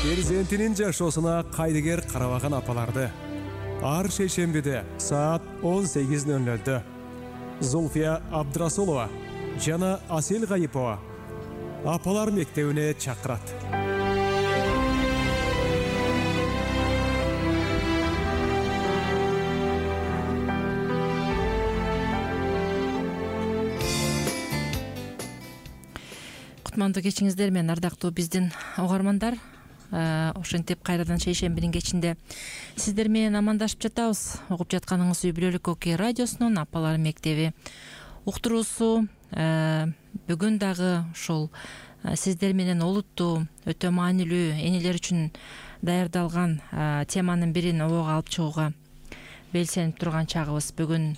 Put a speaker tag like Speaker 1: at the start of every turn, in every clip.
Speaker 1: Перзентинин жашоосуна кайдыгер карабаган апаларды ар шейшембиде саат 18:00 Зульфия Абдрасулова жана Асел Гайипова апалар мектебине чакырат.
Speaker 2: Кутмандуу кечиңиздер менен ардактуу биздин угармандар. Ошентип кайрадан шейшембинин кечинде сиздер менен амандашып жатабыз. Угуп жатканыңыз Үй Бүлөлүк Окей радиосунун апалар мектеби уктуруусу. Бүгүн дагы ушул сиздер менен олуттуу, өтө маанилүү, энелер үчүн даярдалган теманын бирин обого алып чыгууга белсенип турган чагыбыз. Бүгүн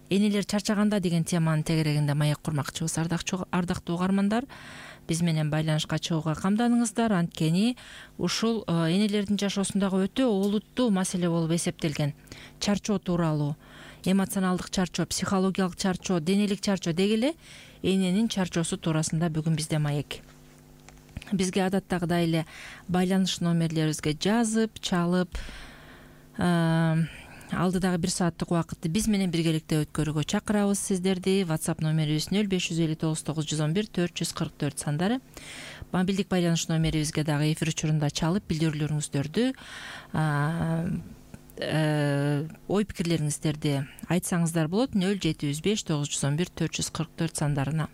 Speaker 2: энелер чарчаганда деген теманын тегерегинде маек курмакчыбыз. Ардактуу угармандар, биз менен байланышка чыгууга камданыңыздар. Анткени ушул энелердин жашоосундагы өтө олуттуу маселе болуп эсептелген чарчоо тууралуу, эмоционалдык чарчоо, психологиялык чарчоо, денелик чарчоо деги эле эненин чарчоосу туурасында бүгүн бизде маек. Бизге адаттагыдай эле байланыш номерлерибизге жазып, чалып, алдыдагы 1 сааттык убакытты биз менен биргеликте өткөрүүгө чакырабыз сиздерди. WhatsApp номерибиз 05599444 сандары. Мобилдик байланыш номерибизге дагы эфир учурунда чалып билдирүүлөрүңүздөрдү, ой пикирлериңиздерди айтсаңыздар болот 07591144 сандарына.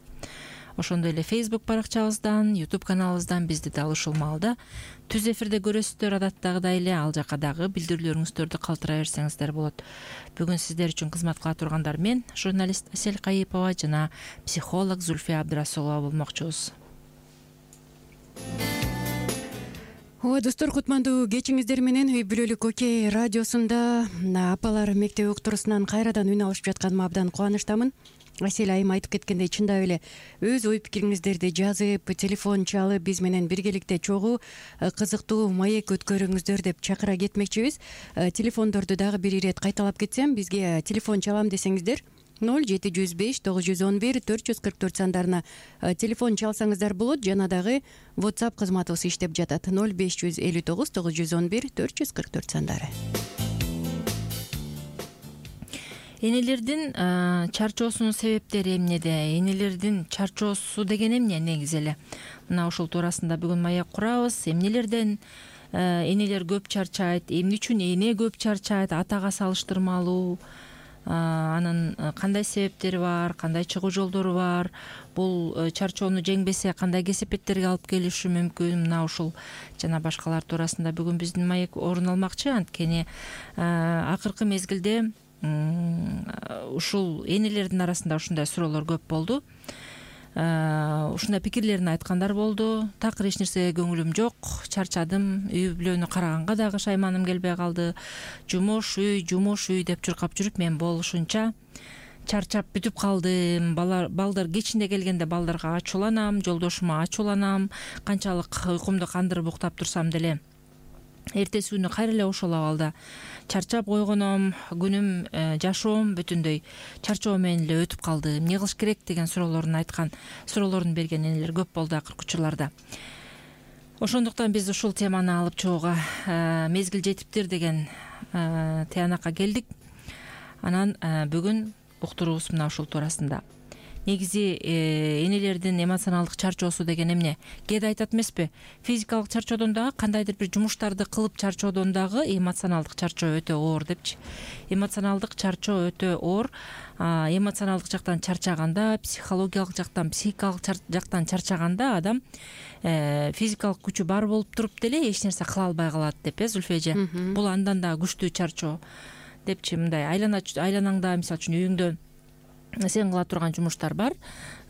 Speaker 2: Ошондой эле Facebook баракчабыздан, YouTube каналыбыздан бизди дал ушул маалда түз эфирде көрөсүздөр. Адаттагыдай эле ал жака дагы билдирүүлөрүңүздөрдү калтыра берсеңиздер болот. Бүгүн сиздер үчүн кызмат кыла тургандар мен, журналист Асел Гайипова жана психолог Зульфия Абдрасулова болмокчубуз.
Speaker 3: Ооба достор, кутмандуу кечиңиздер менен Үй Бүлөлүк Окей радиосунда апалар мектеби уктуруусунан кайрадан үн алышып жатканыма абдан кубанычтамын. Асел айым айтып кеткендей, чындап эле өз ой пикириңиздерди жазып, телефон чалып биз менен биргеликте чогуу кызыктуу маек өткөрүңүздөр деп чакыра кетмекчибиз. Телефондорду дагы бир ирет кайталап кетсем, бизге телефон чалам десеңиздер 0705-911-444 сандарына телефон чалсаңыздар болот. Жана дагы WhatsApp кызматыбыз иштеп жатат 0559-911-444 сандары.
Speaker 2: Энелердин чарчоосунун себептери эмнеде? Энелердин чарчоосу деген эмне негизи эле? Мына ушул туурасында бүгүн маек курабыз. Эмнелерден энелер көп чарчайт? Эмне үчүн эне көп чарчайт? Атага салыштырмалуу анын кандай себептери бар, кандай чыгуу жолдору бар? Бул чарчоону жеңбесе кандай кесепеттерге алып келиши мүмкүн? Мына ушул жана башкалар туурасында бүгүн биздин маек орун алмакчы. Анткени акыркы мезгилде ушул энелердин арасында ушундай суроолор көп болду. Ушундай пикирлерин айткандар болду. Такыр эч нерсеге көңүлүм жок, чарчадым, үй бүлөнү караганга дагы шайманым келбей калды. Жумуш үй деп чуркап жүрүп мен болушунча чарчап бүтүп калдым. Балдар кечинде келгенде балдарга ачууланам, жолдошума ачууланам. Канчалык уйкумду кандырып уктап турсам деле эртеси күнү кайра эле ошол абалда чарчап койгоном, күнүм, жашоом бүтүндөй чарчоо менен эле өтүп калды. Эмне кылыш керек деген суроолорун берген энелер көп болду акыркы учурларда. Ошондуктан биз ушул теманы алып чыгууга мезгил жетиптир деген тыянакка келдик. Анан бүгүн уктуруубуз мына ушул туурасында. Негизи энелердин эмоционалдык чарчоосу деген эмне? Кээде айтат эмеспи? Физикалык чарчоодон дагы, кандайдыр бир жумуштарды кылып чарчоодон дагы эмоционалдык чарчоо өтө оор депчи. Эмоционалдык чарчоо өтө оор. Эмоционалдык жактан чарчаганда, психологиялык жактан, психикалык жактан чарчаганда адам физикалык күчү бар болуп туруп деле эч нерсе кыла албай калат деп, Зульфия эже. Бул андан да күчтүү чарчоо депчи. Мындай айланаңда, мисалы үчүн үйүңдө сен кыла турган жумуштар бар.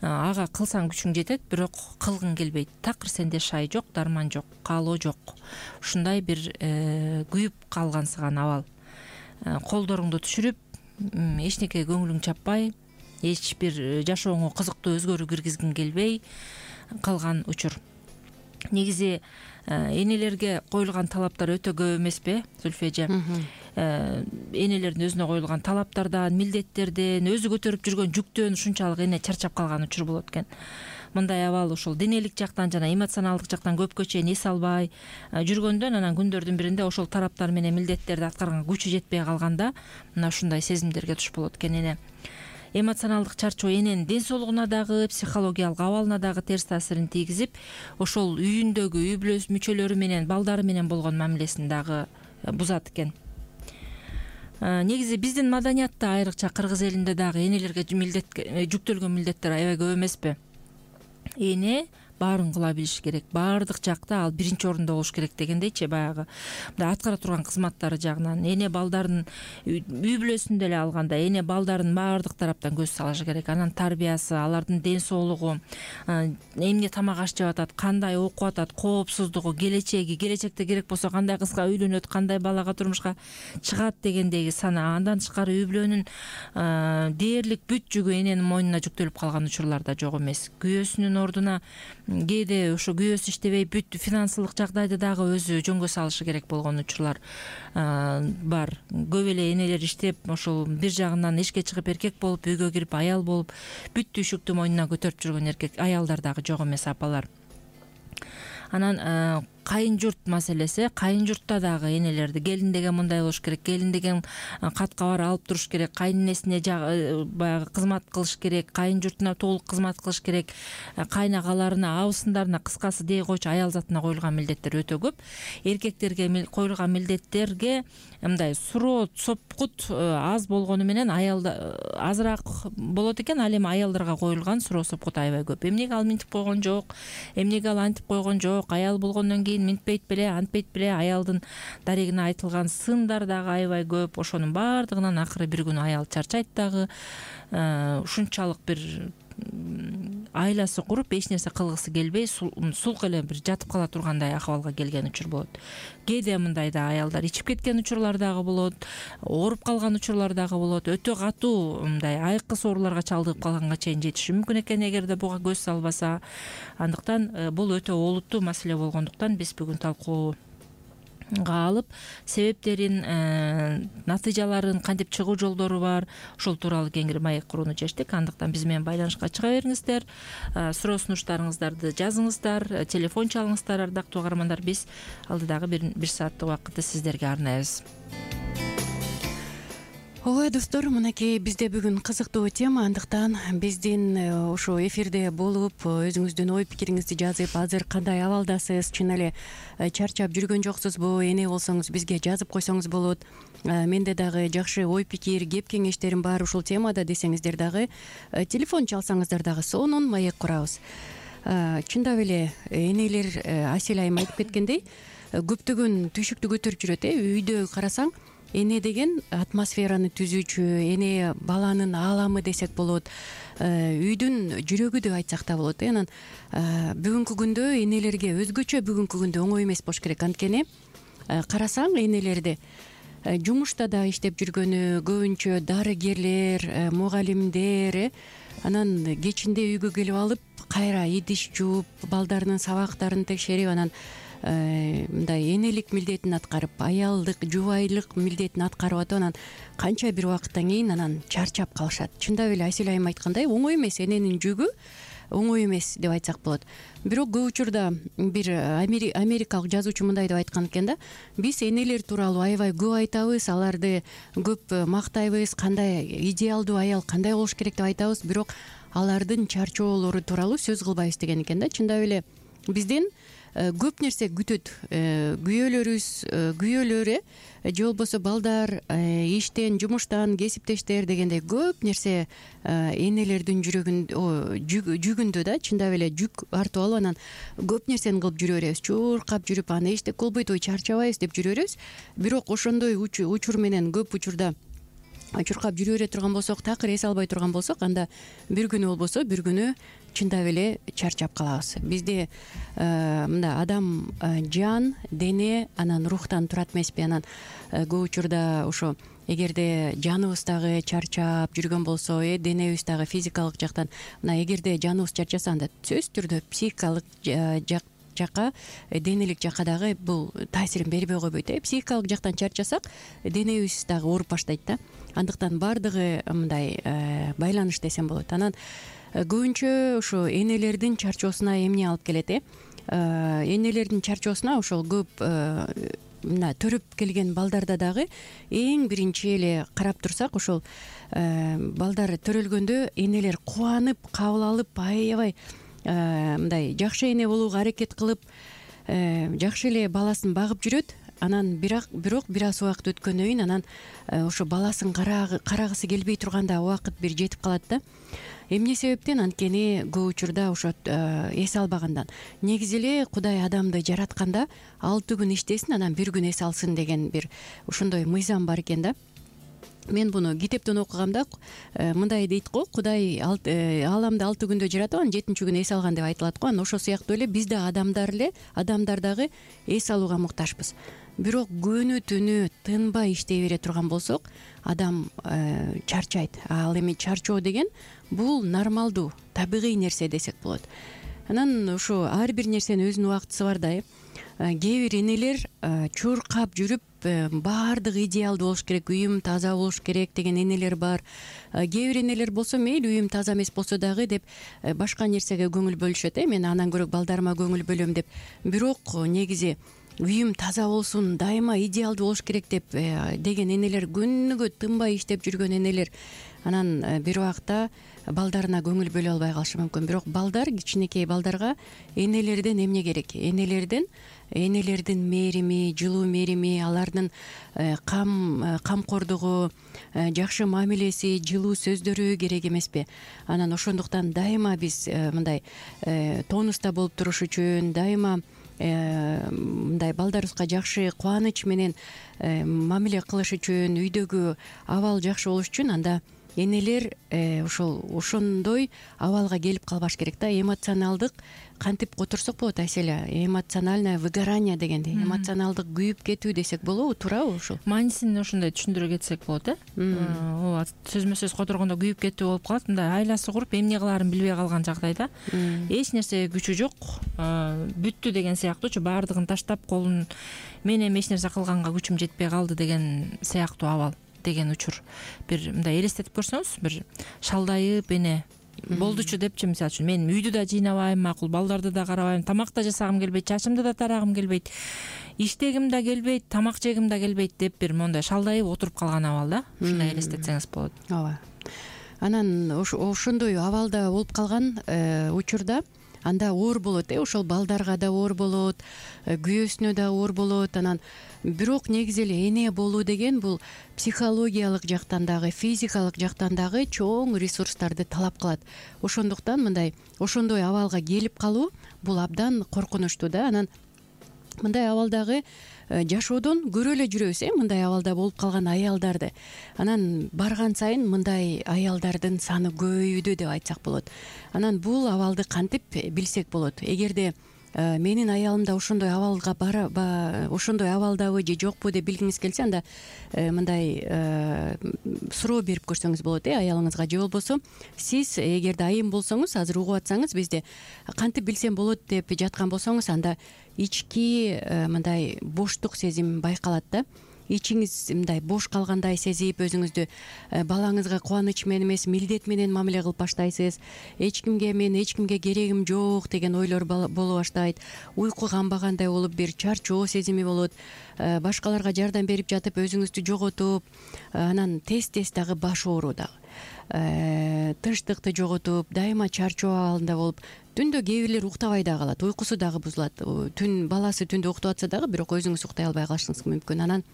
Speaker 2: Ага кылсаң күчүң жетет, бирок кылгың келбейт. Такыр сенде шай жок, дарман жок, каалоо жок. Ушундай бир күйүп калгансыган абал. Колдоруңду түшүрүп, эчнекеге көңүлүң чаппай, эч бир жашооңо кызыктуу өзгөрүү киргизгиң келбей калган учур. Негизи энелерге коюлган талаптар өтө көп эмеспи, Зульфия эже? Энелердин өзүнө коюлган талаптардан, милдеттерден, өзү көтөрүп жүргөн жүктөн ушунчалык эне чарчап калган учур болот экен. мындай абал ошол денелик жактан жана эмоционалдык жактан көпкө чейин эс албай жүргөндөн анан күндөрдүн биринде ошол тараптар менен милдеттерди аткарганга күчү жетпей калганда мына ушундай сезимдерге туш болот экен эне. Эмоционалдык чарчоо эненин ден соолугуна дагы, психологиялык абалына дагы терс таасирин тийгизип, ошол үйүндөгү үй бүлө мүчөлөрү менен, балдары менен болгон мамилесин дагы бузат экен. Негизи биздин маданиятта, айрыкча кыргыз элинде дагы энелерге жүктөлгөн милдеттер аябай көп эмеспи? Эне баарын кыла билиш керек, баардык жакта ал биринчи орунда болуш керек дегендейчи, баягы мындай аткара турган кызматтары жагынан эне балдарын үй бүлөсүн деле алганда эне балдарын баардык тараптан көз салышы керек. Анан тарбиясы, алардын ден соолугу, эмне тамак аш жеп атат, кандай окуп атат, коопсуздугу, келечекте керек болсо кандай кызга үйлөнөт, кандай балага турмушка чыгат дегендеги сана. Андан тышкары үй бүлөнүн дээрлик бүт жүгү эненин мойнуна жүктөлүп калган учурлар да жок эмес. Күйөөсүнүн ордуна кээде ошо күйөөсү иштебей бүт финансылык жагдайды дагы өзү жөнгө салышы керек болгон учурлар бар. Көп эле энелер иштеп ошол бир жагынан эшикке чыгып эркек болуп, үйгө кирип аял болуп, бүт түйшүктү мойнуна көтөрүп жүргөн аялдар дагы жок эмес, апалар. Анан кайын журт маселеси, кайын журтта дагы энелерди келин деген мындай болуш керек, келин деген кат кабар алып туруш керек, кайненесине баягы кызмат кылыш керек, кайын журтуна толук кызмат кылыш керек, кайнагаларына, абысындарына, кыскасы дей койчу аял затына коюлган милдеттер өтө көп. Эркектерге коюлган милдеттерге мындай суроо, сопкут аз болгону менен аялда азыраак болот экен. Ал эми аялдарга коюлган суроо, сопкут аябай көп. Эмнеге ал минтип койгон жок, эмнеге ал антип койгон жок, аял болгондон кийин минтпейт беле, антпейт беле, аялдын дарегине айтылган сындар дагы аябай көп. Ошонун баардыгынан акыры бир күнү аял чарчайт дагы. Ушунчалык бир айласы куруп, эч нерсе кылгысы келбей, сулк эле бир жатып кала тургандай акыбалга келген учур болот. Кээде мындай да аялдар ичип кеткен учурлар дагы болот, ооруп калган учурлар дагы болот. Өтө катуу мындай айыккыс ооруларга чалдыгып калганга чейин жетиши мүмкүн экен эгерде буга көз салбаса. Андыктан бул өтө олуттуу маселе болгондуктан биз бүгүн талкууга алып, себептерин, натыйжаларын, кантип чыгуу жолдору бар, ошол тууралуу кеңири маек курууну чечтик. Андыктан биз менен байланышка чыга бериңиздер, суроо сунуштарыңыздарды жазыңыздар, телефон чалыңыздар, ардактуу угармандар. Биз алдыдагы бир сааттык убакытты сиздерге арнайбыз.
Speaker 3: Ооба достор, мынакей бизде бүгүн кызыктуу тема, андыктан биздин ошо эфирде болуп, өзүңүздүн ой пикириңизди жазып, азыр кандай абалдасыз, чын эле чарчап жүргөн жоксузбу, эне болсоңуз бизге жазып койсоңуз болот. Менде дагы жакшы ой пикир, кеп кеңештерим бар ушул темада десеңиздер дагы, телефон чалсаңыздар дагы сонун маек курабыз. Чындап эле энелер, Асель айым айтып кеткендей, көптөгөн түйшүктү көтөрүп жүрөт. Үйдө карасаң, эне деген атмосфераны түзүүчү, эне баланын ааламы десек болот, үйдүн жүрөгү деп айтсак да болот. Анан бүгүнкү күндө энелерге өзгөчө бүгүнкү күндө оңой эмес болуш керек. Анткени карасаң энелерди жумушта да иштеп жүргөнү, көбүнчө дарыгерлер, мугалимдер, анан кечинде үйгө келип алып, кайра идиш жууп, балдарынын сабактарын текшерип, анан мындай энелик милдетин аткарып, аялдык, жубайлык милдетин аткарып атып, анан канча бир убакыттан кийин анан чарчап калышат. Чындап эле Асель айым айткандай, оңой эмес, эненин жүгү оңой эмес деп айтсак болот. Бирок көп учурда бир америкалык жазуучу мындай деп айткан экен да: биз энелер тууралуу аябай көп айтабыз, аларды көп мактайбыз, кандай идеалдуу аял кандай болуш керек деп айтабыз, бирок алардын чарчоолору тууралуу сөз кылбайбыз деген экен да. Чындап эле бизден көп нерсе күтөт. Күйөөлөр же болбосо балдар, иштен, жумуштан, кесиптештер дегендей көп нерсе энелердин жүгүндө да, чындап эле жүк артып алып, анан көп нерсени кылып жүрө беребиз. Чуркап жүрүп, аны эчтек болбойт, ой чарчабайбыз деп жүрө беребиз. Бирок ошондой учур менен көп учурда чуркап жүрө бере турган болсок, такыр эс албай турган болсок, анда бир күнү болбосо бир күнү чындап эле чарчап калабыз. Бизде мында адам жан, дене, анан рухтан турат эмеспи? Анан көп учурда ошо эгерде жаныбыз дагы чарчап жүргөн болсо, денебиз дагы физикалык жактан, мына эгерде жаныбыз чарчаса, анда сөзсүз түрдө психикалык жака, денелик жака дагы бул таасирин бербей койбойт. Психикалык жактан чарчасак денебиз дагы ооруп баштайт да. Андыктан баардыгы мындай байланыш десем болот. Анан көбүнчө ошо энелердин чарчоосуна эмне алып келет? Энелердин чарчоосуна ошол көп мына төрөп келген балдарда дагы эң биринчи эле карап турсак, ошол балдар төрөлгөндө энелер кубанып, кабыл алып, аябай мындай жакшы эне болууга аракет кылып, жакшы эле баласын багып жүрөт. Анан бирок бир аз убакыт өткөндөн кийин анан ошо баласын карагысы келбей турганда убакыт бир жетип калат да. Эмне себептен? Анткени көп учурда ошо эс албагандан. Негизи эле Кудай адамды жаратканда 6 күн иштесин, анан 1 күн эс алсын деген бир ошондой мыйзам бар экен да. Мен буну китептен окугамда мындай дейт го, Кудай ааламды 6 күндө жаратып, анан 7-чү күнү эс алган деп айтылат го. Анан ошол сыяктуу эле биз да адамдар дагы эс алууга муктажбыз. Бирок күнү түнү тынбай иштей бере турган болсок, адам чарчайт. Ал эми чарчоо деген бул нормалдуу, табигый нерсе десек болот. Анан ошо ар бир нерсенин өзүнүн убактысы бар да. Кээ бир энелер чуркап жүрүп, баардыгы идеалдуу болуш керек, үйүм таза болуш керек деген энелер бар. Кээ бир энелер болсо мейли үйүм таза эмес болсо дагы деп башка нерсеге көңүл бөлүшөт. Мен андан көрө балдарыма көңүл бөлөм деп. Бирок негизи үйүм таза болсун, дайыма идеалдуу болуш керек деген энелер, күнүгө тынбай иштеп жүргөн энелер анан бир убакта балдарына көңүл бөлө албай калышы мүмкүн. Бирок балдар, кичинекей балдарга энелерден эмне керек? Энелердин мээрими, жылуу мээрими, алардын камкордугу, жакшы мамилеси, жылуу сөздөрү керек эмеспи? Анан ошондуктан дайыма биз мындай тонуста болуп туруш үчүн, дайыма мындай балдарыбызга жакшы кубаныч менен мамиле кылыш үчүн, үйдөгү абал жакшы болуш үчүн анда энелер ошондой абалга келип калбаш керек да. Эмоционалдык кантип которсок болот, Айселя? Эмоциональное выгорание дегенди, эмоционалдык күйүп кетүү десек болобу, туурабы ушул?
Speaker 2: Маанисин ошондой түшүндүрө кетсек болот, ооба, сөзмө сөз которгондо күйүп кетүү болуп калат. Мындай айласы куруп, эмне кылаарын билбей калган жагдайда эч нерсеге күчү жок, бүттү деген сыяктуучу, баардыгын таштап, колун мен эми эч нерсе кылганга күчүм жетпей калды деген сыяктуу абал деген учур. Бир мындай элестетип көрсөңүз, бир шалдайып эне болдучу депчи, мисалы үчүн мен үйдү да жыйнабайм, макул, балдарды да карабайм, тамак да жасагым келбейт, чачымды да тарагым келбейт, иштегим да келбейт, тамак жегим да келбейт деп бир мондай шалдайып отуруп калган абал да. Ушундай элестетсеңиз болот.
Speaker 3: Ооба. Анан ошондой абалда болуп калган учурда анда оор болот, ошол балдарга да оор болот, күйөөсүнө да оор болот. Анан бирок негизи эле эне болуу деген бул психологиялык жактан дагы, физикалык жактан дагы чоң ресурстарды талап кылат. Ошондуктан мындай ошондой абалга келип калуу бул абдан коркунучтуу да. Анан мындай абалдагы жашоодон көрө эле жүрөбүз, мындай абалда болуп калган аялдарды. Анан барган сайын мындай аялдардын саны көбөйүүдө деп айтсак болот. Анан бул абалды кантип билсек болот? Эгерде менин аялым да ошондой абалга ошондой абалдабы же жокпу деп билгиңиз келсе, анда мындай суроо берип көрсөңүз болот аялыңызга. Же болбосо сиз эгерде айым болсоңуз, азыр угуп атсаңыз, бизде кантип билсем болот деп жаткан болсоңуз, анда ички мындай боштук сезим байкалат да. Ичиңиз мындай бош калгандай сезип, өзүңүздү балаңызга кубаныч менен эмес, милдет менен мамиле кылып баштайсыз. Мен эч кимге керегим жок деген ойлор боло баштайт. Уйку канбагандай болуп, бир чарчоо сезими болот. Башкаларга жардам берип жатып өзүңүздү жоготуп, анан тез дагы баш ооруу дагы, тынчтыкты жоготуп, дайыма чарчоо абалында болуп, түндө кээ бирлер уктабай да калат, уйкусу дагы бузулат. Баласы түндө уктап атса дагы, бирок өзүңүз уктай албай калышыңыз мүмкүн. Анан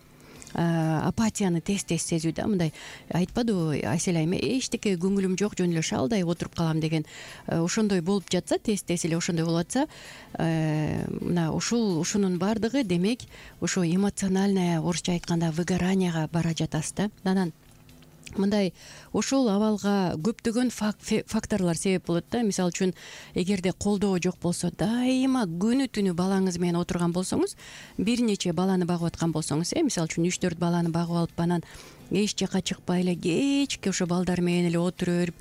Speaker 3: апатияны тез сезүү да. Мындай айтпадыбы Айселя айым, эчтеке көңүлүм жок, жөн эле шалдайып отуруп калам деген. Ошондой болуп жатса, тез эле ошондой болуп атса, мына ушунун баардыгы демек ошо эмоциональное, орусча айтканда, выгоранияга бара жатасыз да. Анан мындай ошол абалга көптөгөн факторлор себеп болот да. Мисалы үчүн, эгерде колдоо жок болсо, дайыма күнү түнү балаңыз менен отурган болсоңуз, бир нече баланы багып аткан болсоңуз, мисалы үчүн 3-4 баланы багып алып, анан эч жака чыкпай эле кечке ошо балдар менен эле отура берип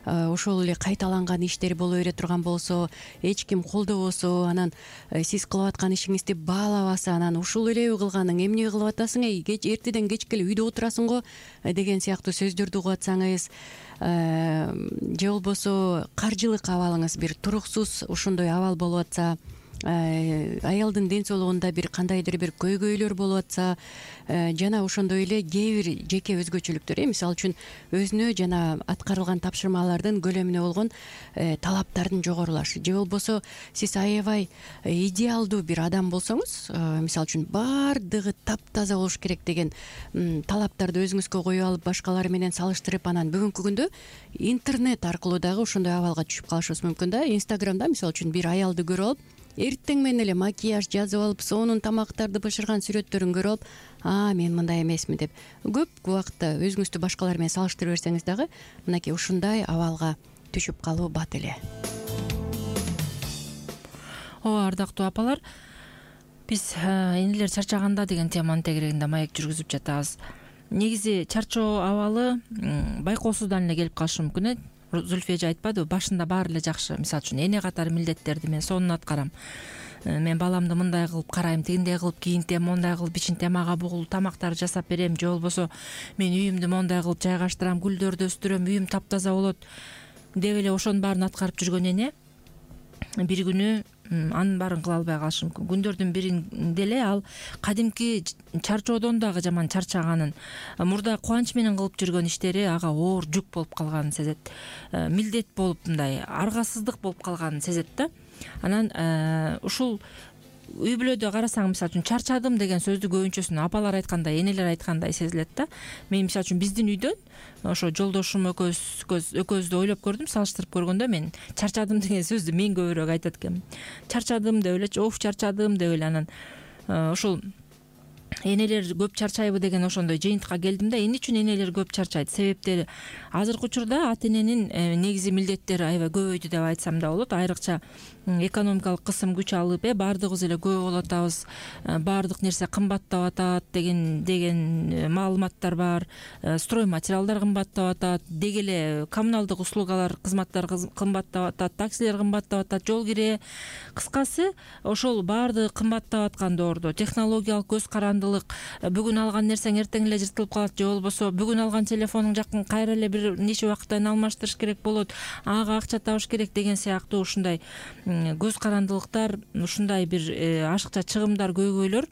Speaker 3: ошол эле кайталанган иштер боло бере турган болсо, эч ким колдобосо, анан сиз кылып аткан ишиңизди баалабаса, анан ушул элеби кылганың, эмне кылып атасың, эртеден кечке эле үйдө отурасың го деген сыяктуу сөздөрдү угуп атсаңыз, же болбосо каржылык абалыңыз бир туруксуз ошондой абал болуп атса, аялдын ден соолугунда бир кандайдыр бир көйгөйлөр болуп атса, жана ошондой эле кээ бир жеке өзгөчөлүктөр, мисалы үчүн өзүнө жана аткарылган тапшырмалардын көлөмүнө болгон талаптардын жогорулашы, же болбосо сиз аябай идеалдуу бир адам болсоңуз, мисалы үчүн баардыгы таптаза болуш керек деген талаптарды өзүңүзгө коюп алып, башкалар менен салыштырып, анан бүгүнкү күндө интернет аркылуу дагы ошондой абалга түшүп калышыбыз мүмкүн да. Инстаграмда мисалы үчүн бир аялды көрүп алып, эртең менен эле макияж жазып алып, сонун тамактарды бышырган сүрөттөрүн көрүп алып, мен мындай эмесмин деп көп убакытта өзүңүздү башкалар менен салыштырып берсеңиз дагы мынакей ушундай абалга түшүп калуу бат эле.
Speaker 2: Ооба, ардактуу апалар, биз энелер чарчаганда деген теманын тегерегинде маек жүргүзүп жатабыз. Негизи чарчоо абалы байкоосуздан эле келип калышы мүмкүн. Зульфия эже айтпадыбы, башында баары эле жакшы. Мисалы үчүн эне катары милдеттерди мен сонун аткарам, мен баламды мындай кылып карайм, тигиндей кылып кийинтем, мондай кылып ичинтем, ага бугул тамактарды жасап берем, же болбосо мен үйүмдү мондай кылып жайгаштырам, гүлдөрдү өстүрөм, үйүм таптаза болот деп эле ошонун баарын аткарып жүргөн эне бир күнү анын баарын кыла албай калышы мүмкүн. Күндөрдүн биринде эле ал кадимки чарчоодон дагы жаман чарчаганын, мурда кубанч менен кылып жүргөн иштери ага оор жүк болуп калганын сезет, милдет болуп, мындай аргасыздык болуп калганын сезет да. Анан ушул үй бүлөдө карасаң, мисалы үчүн чарчадым деген сөздү көбүнчөсүн апалар айткандай, энелер айткандай сезилет да. Мен мисалы үчүн биздин үйдөн ошо жолдошум экөөбүздү ойлоп көрдүм, салыштырып көргөндө мен чарчадым деген сөздү мен көбүрөөк айтат экенмин. Чарчадым деп элечи, чарчадым деп эле. Анан ушул энелер көп чарчайбы деген ошондой жыйынтыкка келдим да. Эмне үчүн энелер көп чарчайт? Себептери азыркы учурда ата эненин негизи милдеттери аябай көбөйдү деп айтсам да болот. Айрыкча экономикалык кысым күч алып, баардыгыбыз эле көп болуп атабыз, баардык нерсе кымбаттап атат деген маалыматтар бар. Строй материалдар кымбаттап атат, деги эле коммуналдык услугалар, кызматтар кымбаттап атат, таксилер кымбаттап атат, жол кире. Кыскасы, ошол баардыгы кымбаттап аткан доордо технологиялык көз карандылык, бүгүн алган нерсең эртең эле жыртылып калат, же болбосо бүгүн алган телефонуң жакын кайра эле бир нече убакыттан алмаштырыш керек болот, ага акча табыш керек деген сыяктуу ушундай көз карандылыктар, ушундай бир ашыкча чыгымдар, көйгөйлөр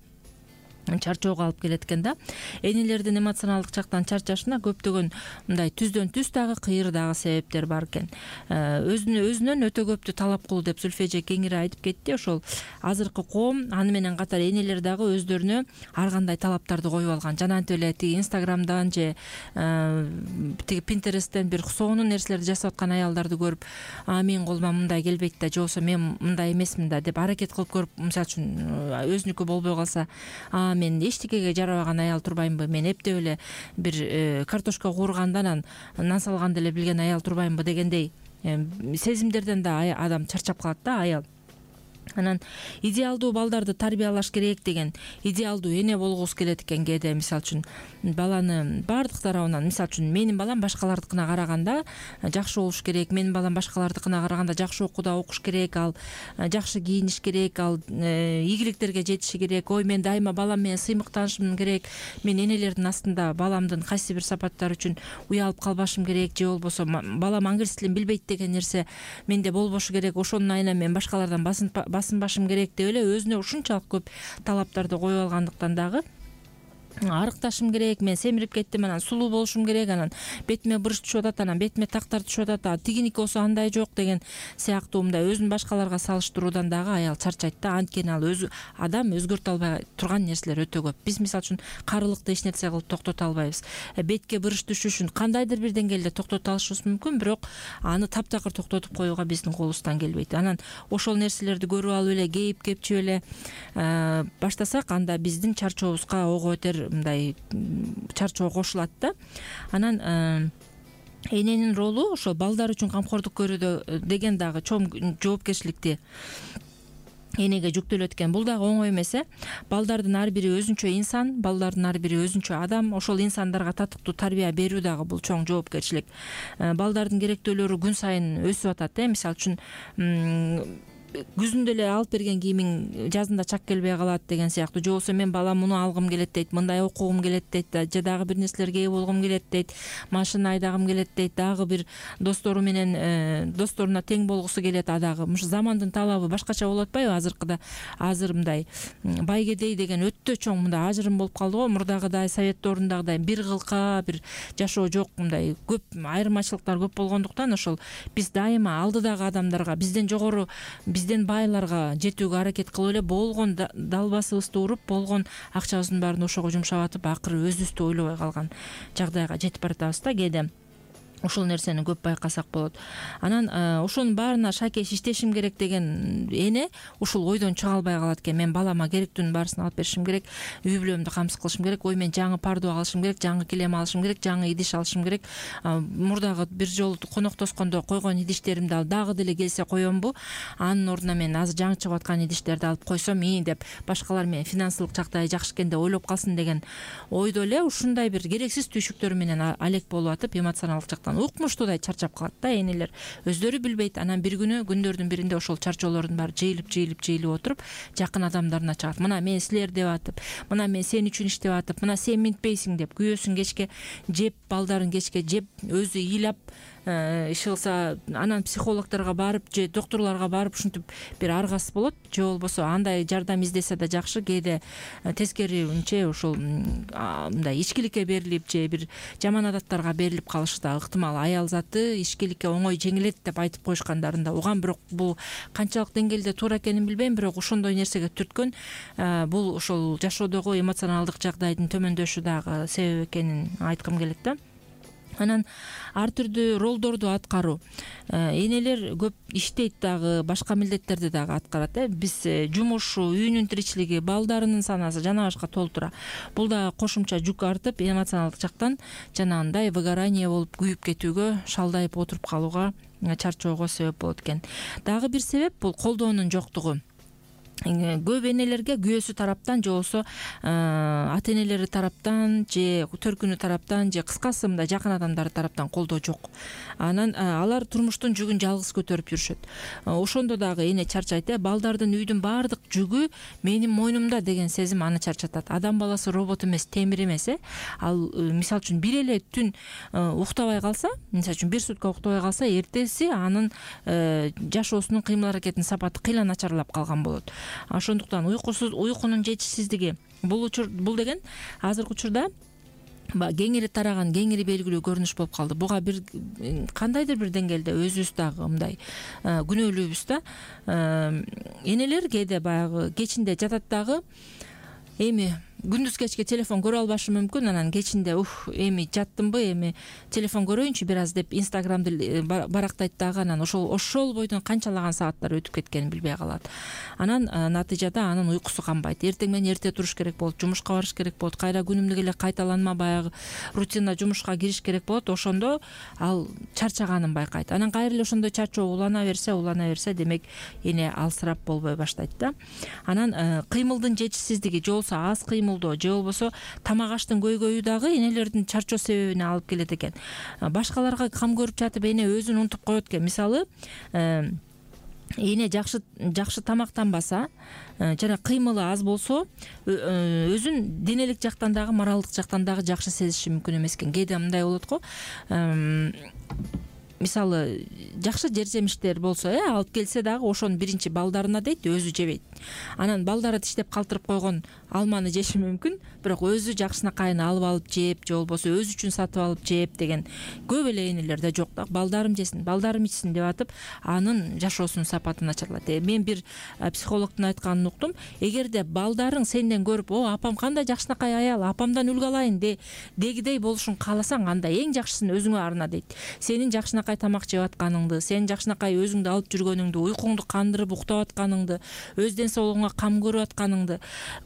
Speaker 2: чарчоого алып келет экен да. Энелердин эмоционалдык жактан чарчашына көптөгөн мындай түздөн түз дагы кыйыр дагы себептер бар экен. Өзүнөн өтө көптү талап кылуу деп Зульфия эже кеңири айтып кетти. Ошол азыркы коом, аны менен катар энелер дагы өздөрүнө ар кандай талаптарды коюп алган. Жана антип эле тиги Инстаграмдан же тиги Пинтересттен бир сонун нерселерди жасап аткан аялдарды көрүп, менин колума мындай келбейт да, же болбосо мен мындай эмесмин да деп аракет кылып көрүп, мисалы үчүн өзүнүкү болбой калса, мен эчтекеге жарабаган аял турбаймынбы, мен эптеп эле бир картошка куургандан анан нан салганды эле билген аял турбаймынбы дегендей сезимдерден да адам чарчап калат да, аял. Анан идеалдуу балдарды тарбиялаш керек деген идеалдуу эне болгубуз келет экен кээде. Мисалы үчүн баланы баардык тарабынан, мисалы үчүн менин балам башкалардыкына караганда жакшы болуш керек, менин балам башкалардыкына караганда жакшы окууда окуш керек, ал жакшы кийиниш керек, ал ийгиликтерге жетиши керек. Ой, мен дайыма балам менен сыймыктанышым керек, мен энелердин астында баламдын кайсы бир сапаттары үчүн уялып калбашым керек, же болбосо балам англис тилин билбейт деген нерсе менде болбошу керек, ошонун айынан мен башкалардан басынбашым керек деп эле өзүнө ушунчалык көп талаптарды коюп алгандыктан дагы арыкташым керек, мен семирип кеттим, анан сулуу болушум керек, анан бетиме брыш түшүп атат, анан бетиме тактар түшүп атат, тигиники болсо андай жок деген сыяктуу мындай өзүн башкаларга салыштыруудан дагы аял чарчайт да. Анткени ал адам өзгөртө албай турган нерселер өтө көп. Биз мисалы үчүн карылыкты эч нерсе кылып токтото албайбыз. Бетке брыш түшүшүн кандайдыр бир деңгээлде токтото алышыбыз мүмкүн, бирок аны таптакыр токтотуп коюуга биздин колубуздан келбейт. Анан ошол нерселерди көрүп алып эле, кейип кепчип эле баштасак, анда биздин чарчообузга ого өтер мындай чарчоо кошулат да. Анан эненин ролу ошо балдар үчүн камкордук көрүүдө деген дагы чоң жоопкерчиликти энеге жүктөлөт экен. Бул дагы оңой эмес. Балдардын ар бири өзүнчө инсан, балдардын ар бири өзүнчө адам. Ошол инсандарга татыктуу тарбия берүү дагы бул чоң жоопкерчилик. Балдардын керектөөлөрү күн сайын өсүп атат. Мисалы үчүн күзүндө эле алып берген кийимиң жазында чак келбей калат деген сыяктуу, же болбосо мен балам муну алгым келет дейт, мындай окугум келет дейт, же дагы бир нерселерге ээ болгум келет дейт, машина айдагым келет дейт, дагы бир достору менен досторуна тең болгусу келет. Дагы замандын талабы башкача болуп атпайбы? Азыр мындай бай кедей деген өтө чоң мындай ажырым болуп калды го. Мурдагыдай совет доорундагыдай бир кылка бир жашоо жок, мындай көп айырмачылыктар көп болгондуктан ошол биз дайыма алдыдагы адамдарга, бизден жогору, бизден байларга жетүүгө аракет кылып эле болгон далбасыбызды уруп, болгон акчабыздын баарын ошого жумшап атып, акыры өзүбүздү ойлобой калган жагдайга жетип баратабыз да кээде. Ушул нерсени көп байкасак болот. Анан ошонун баарына шакеш иштешим керек деген эне ушул ойдон чыга албай калат экен. Мен балама керектүүнүн баарысын алып беришим керек, үй бүлөмдү камсыз кылышым керек, ой мен жаңы пардо алышым керек, жаңы килем алышым керек, жаңы идиш алышым керек. Мурдагы бир жолу коноктоскондо койгон идиштеримди алып дагы деле келсе коембу? Анын ордуна мен азыр жаңы чыгып аткан идиштерди алып койсом деп башкалар менен финансылык жактайы жакшы экен деп ойлоп калсын деген ойдо эле ушундай бир керексиз түйшүктөр менен алек болуп атып, эмоционалдык жактан укмуштуудай чарчап калат да энелер. Өздөрү билбейт. Анан бир күнү күндөрдүн биринде ошол чарчоолордун баары жыйылып отуруп, жакын адамдарына чыгат. Мына мен силер деп атып, мына мен сен үчүн иштеп атып, мына сен минтпейсиң деп күйөөсүн кечке жеп, балдарын кечке жеп, өзү ыйлап иш кылса, анан психологдорго барып же докторлорго барып ушинтип бир аргасыз болот, же болбосо андай жардам издесе да жакшы. Кээде тескерисинче ушул мындай ичкиликке берилип же бир жаман адаттарга берилип калышы да ыктымал. Аял заты ичкиликке оңой жеңилет деп айтып коюшкандарын да угам, бирок бул канчалык деңгээлде туура экенин билбейм, бирок ошондой нерсеге түрткөн бул ошол жашоодогу эмоционалдык жагдайдын төмөндөшү дагы себеп экенин айткым келет да. Анан ар түрдүү ролдорду аткаруу. Энелер көп иштейт дагы, башка милдеттерди дагы аткарат. Биз жумушу, үйүнүн тиричилиги, балдарынын санасы жана башка толтура. Бул да кошумча жүк артып, эмоционалдык жактан жанагындай выгорание болуп күйүп кетүүгө, шалдайып отуруп калууга, чарчоого себеп болот экен. Дагы бир себеп бул колдоонун жоктугу. Көп энелерге күйөөсү тараптан же болбосо ата энелери тараптан же төркүнү тараптан же кыскасы мындай жакын адамдары тараптан колдоо жок. Анан алар турмуштун жүгүн жалгыз көтөрүп жүрүшөт. Ошондо дагы эне чарчайт. Балдардын үйдүн баардык жүгү менин мойнумда деген сезим аны чарчатат. Адам баласы робот эмес, темир эмес. Ал мисалы үчүн бир эле түн уктабай калса, мисалы үчүн бир сутка уктабай калса, эртеси анын жашоосунун кыймыл аракетинин сапаты кыйла начарлап калган болот. Ошондуктан уйкунун жетишсиздиги бул деген азыркы учурда кеңири тараган, кеңири белгилүү көрүнүш болуп калды. Буга бир кандайдыр бир деңгээлде өзүбүз дагы мындай күнөөлүүбүз да. Энелер кээде баягы кечинде жатат дагы, эми күндүз кечке телефон көрө албашы мүмкүн, анан кечинде эми жаттымбы, эми телефон көрөйүнчү бир аз деп инстаграмды барактайт дагы, анан ошол бойдон канчалаган сааттар өтүп кеткенин билбей калат. Анан натыйжада анын уйкусу канбайт. Эртең менен эрте туруш керек болот, жумушка барыш керек болот, кайра күнүмдүк эле кайталанма баягы рутина жумушка кириш керек болот. Ошондо ал чарчаганын байкайт. Анан кайра эле ошондой чарчоо улана берсе, демек эне алсырап болбой баштайт да. Анан кыймылдын жетишсиздиги же болбосо аз кыймыл же болбосо тамак аштын көйгөйү дагы энелердин чарчоо себебине алып келет экен. Башкаларга кам көрүп жатып эне өзүн унутуп коет экен. Мисалы, эне жакшы тамактанбаса, жана кыймылы аз болсо, өзүн денелик жактан дагы, моралдык жактан дагы жакшы сезиши мүмкүн эмес экен. Кээде мындай болот го. Мисалы, жакшы жер-жемиштер болсо, алып келсе дагы ошону биринчи балдарына дейт, өзү жебейт. Анан балдары тиштеп калтырып койгон алманы жеши мүмкүн, бирок өзү жакшынакайын алып жеп, же болбосо өзү үчүн сатып алып жеп деген көп эле энелерде жок да. Балдарым жесин, балдарым ичсин деп атып, анын жашоосунун сапаты начарлайт. Мен бир психологдун айтканын уктум. Эгерде балдарың сенден көрүп, апам кандай жакшынакай аял, апамдан үлгү алайын дегидей болушун кааласаң, анда эң жакшысын өзүңө арна дейт. Сенин жакшынакай тамак жеп атканыңды, сен жакшынакай өзүңдү алып жүргөнүңдү, уйкуңду кандырып уктап атканыңды, өз ден соолугуңа кам көрүп атканыңды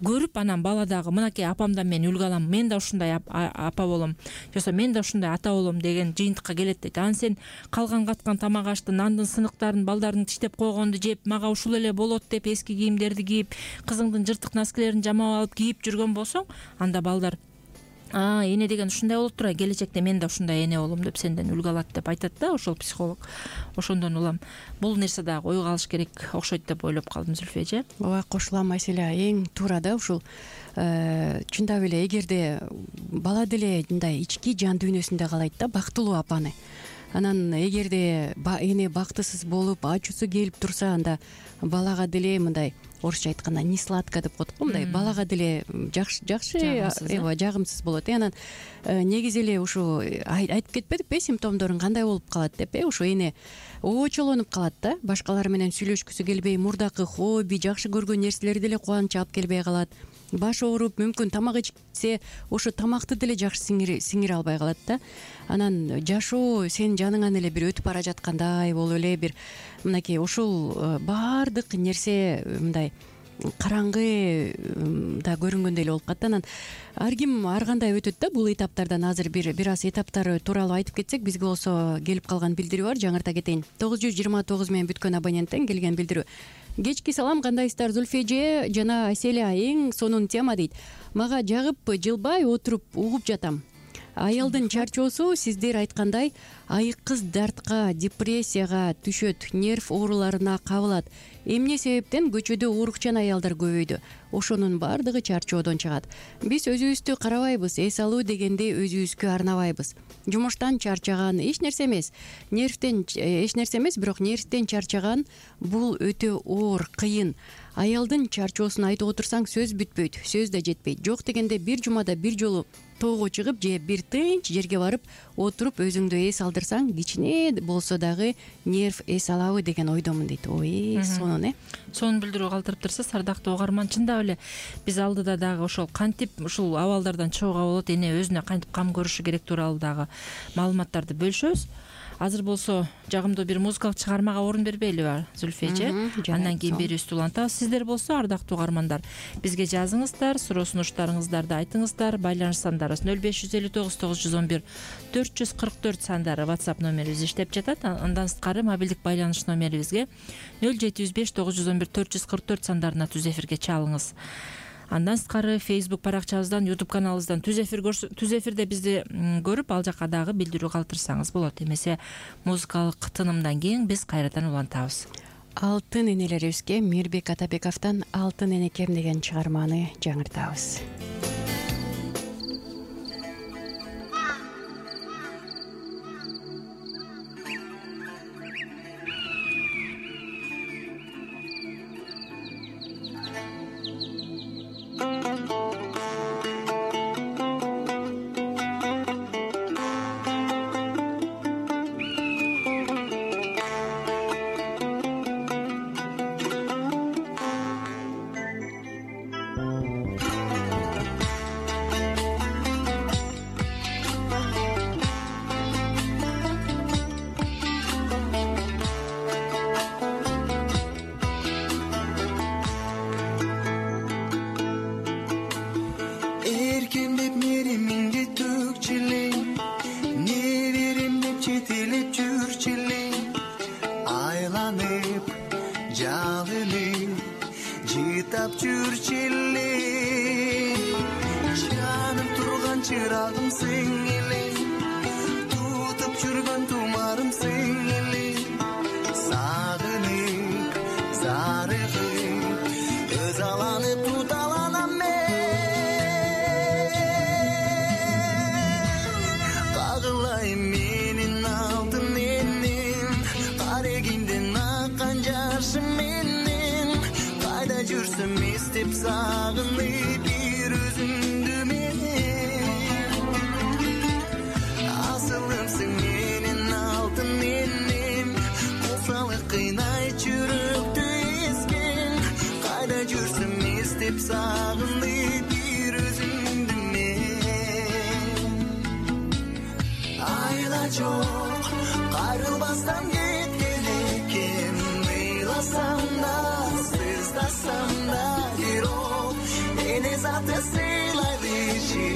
Speaker 2: көрүп, анан бала дагы мынакей апамдан мен үлгү алам, мен да ушундай апа болом, же болбосо мен да ушундай ата болом деген жыйынтыкка келет дейт. Анан сен калган каткан тамак ашты, нандын сыныктарын балдардын тиштеп койгонду жеп, мага ушул эле болот деп эски кийимдерди кийип, кызыңдын жыртык носкилерин жамап алып кийип жүргөн болсоң, анда балдар эне деген ушундай болот тура, келечекте мен да ушундай эне болом деп сенден үлгү алат деп айтат да ошол психолог. Ошондон улам бул нерсе дагы ойго алыш керек окшойт деп ойлоп калдым, Зүлфия эже.
Speaker 3: Ооба, кошулам Айселя, эң туура да ушул. Чындап эле эгерде бала деле мындай ички жан дүйнөсүндө каалайт да бактылуу апаны, анан эгерде эне бактысыз болуп ачуусу келип турса, анда балага деле мындай орусча айтканда не сладко деп коет го, мындай балага деле жакшы жагымсыз болот. Анан негизи эле ушу айтып кетпедикпи симптомдорун кандай болуп калат деп? Ушу эне очолонуп калат да, башкалар менен сүйлөшкүсү келбей, мурдакы хобби, жакшы көргөн нерселери деле кубанычы алып келбей калат. Баш ооруп, мүмкүн тамак ичсе, ошо тамакты деле жакшы сиңире албай калат да. Анан жашоо сенин жаныңан эле бир өтүп бара жаткандай болуп эле, бир мынакей ушул баардык нерсе мындай караңгы да көрүнгөндөй эле болуп калат. Анан ар ким ар кандай өтөт да бул этаптардан. Азыр бир аз этаптары тууралуу айтып кетсек, бизге болсо келип калган билдирүү бар, жаңырта кетейин. 929 менен бүткөн абоненттен келген билдирүү. Кечки салам, кандайсыздар Зүлфия эже жана Айселя, эң сонун тема дейт. Мага жагып жылбай отуруп угуп жатам. Аялдын чарчоосу сиздер айткандай айыккыз дартка, депрессияга түшөт, нерв ооруларына кабылат. Эмне себептен көчөдө уурукчан аялдар көбөйдү? Ошонун баардыгы чарчоодон чыгат. Биз өзүбүздү карабайбыз, эс алуу дегенди өзүбүзгө арнабайбыз. Жумуштан чарчаган эч нерсе эмес, бирок нервтен чарчаган бул өтө оор, кыйын. Аялдын чарчоосун айтып отурсаң сөз бүтпөйт, сөз да жетпейт. Жок дегенде бир жумада бир жолу тоого чыгып же бир тынч жерге барып отуруп өзүңдү эс алдырсаң, кичине болсо дагы нерв эс алабы деген ойдомун дейт. Ой, сонун
Speaker 2: сонун билдирүү калтырып турса, ардактуу угарман, чындап эле биз алдыда дагы ошол кантип ушул абалдардан чыгууга болот, эне өзүнө кантип кам көрүшү керек тууралуу дагы маалыматтарды бөлүшөбүз. Азыр болсо жагымдуу бир музыкалык чыгармага орун бербейлиби Зүлфия эже? Андан кийин берүүбүздү улантабыз. Сиздер болсо ардактуу угармандар, бизге жазыңыздар, суроо сунуштарыңыздарды айтыңыздар. Байланыш сандарыбыз 0559 911 444 сандары WhatsApp номерибиз иштеп жатат. Андан сырткары мобилдик байланыш номерибизге 0705 911 444 сандарына түз эфирге чалыңыз. Андан сырткары Facebook баракчабыздан, YouTube каналыбыздан түз эфирде бизди көрүп, ал жака дагы билдирүү калтырсаңыз болот. Эмесе музыкалык тынымдан кийин биз кайрадан улантабыз.
Speaker 3: Алтын энелерибизге Мирбек Атабековдон Алтын энекем деген чыгарманы жаңыртабыз.
Speaker 4: Кайрылбастан кеткен экем, ыйласам да, сыздасам бакыты сыйлайды иши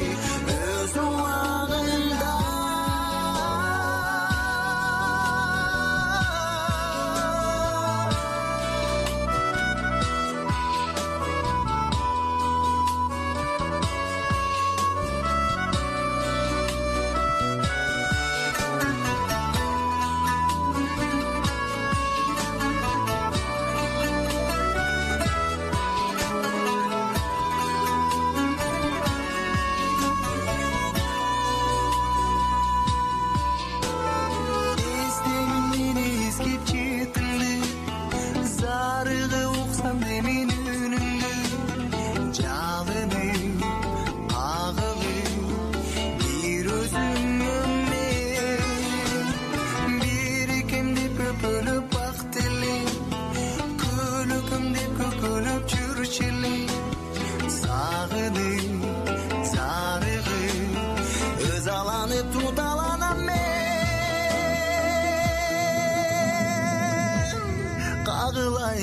Speaker 4: өз убагында.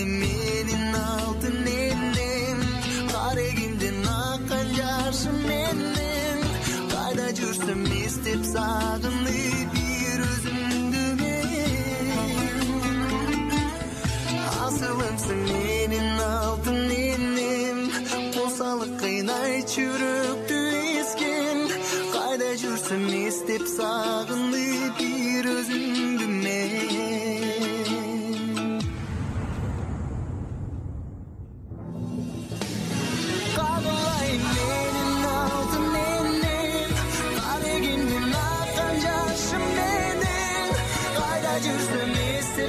Speaker 4: Менин алтын энем карегимден аккан жашым менен кайда жүрсөм эстеп сагынып бир өзүңдү мен асылымсың менин алтын энем косалык кыйнайт жүрөктү эскен кайда жүрсөм эстеп сагынып бир өзүңдү мен.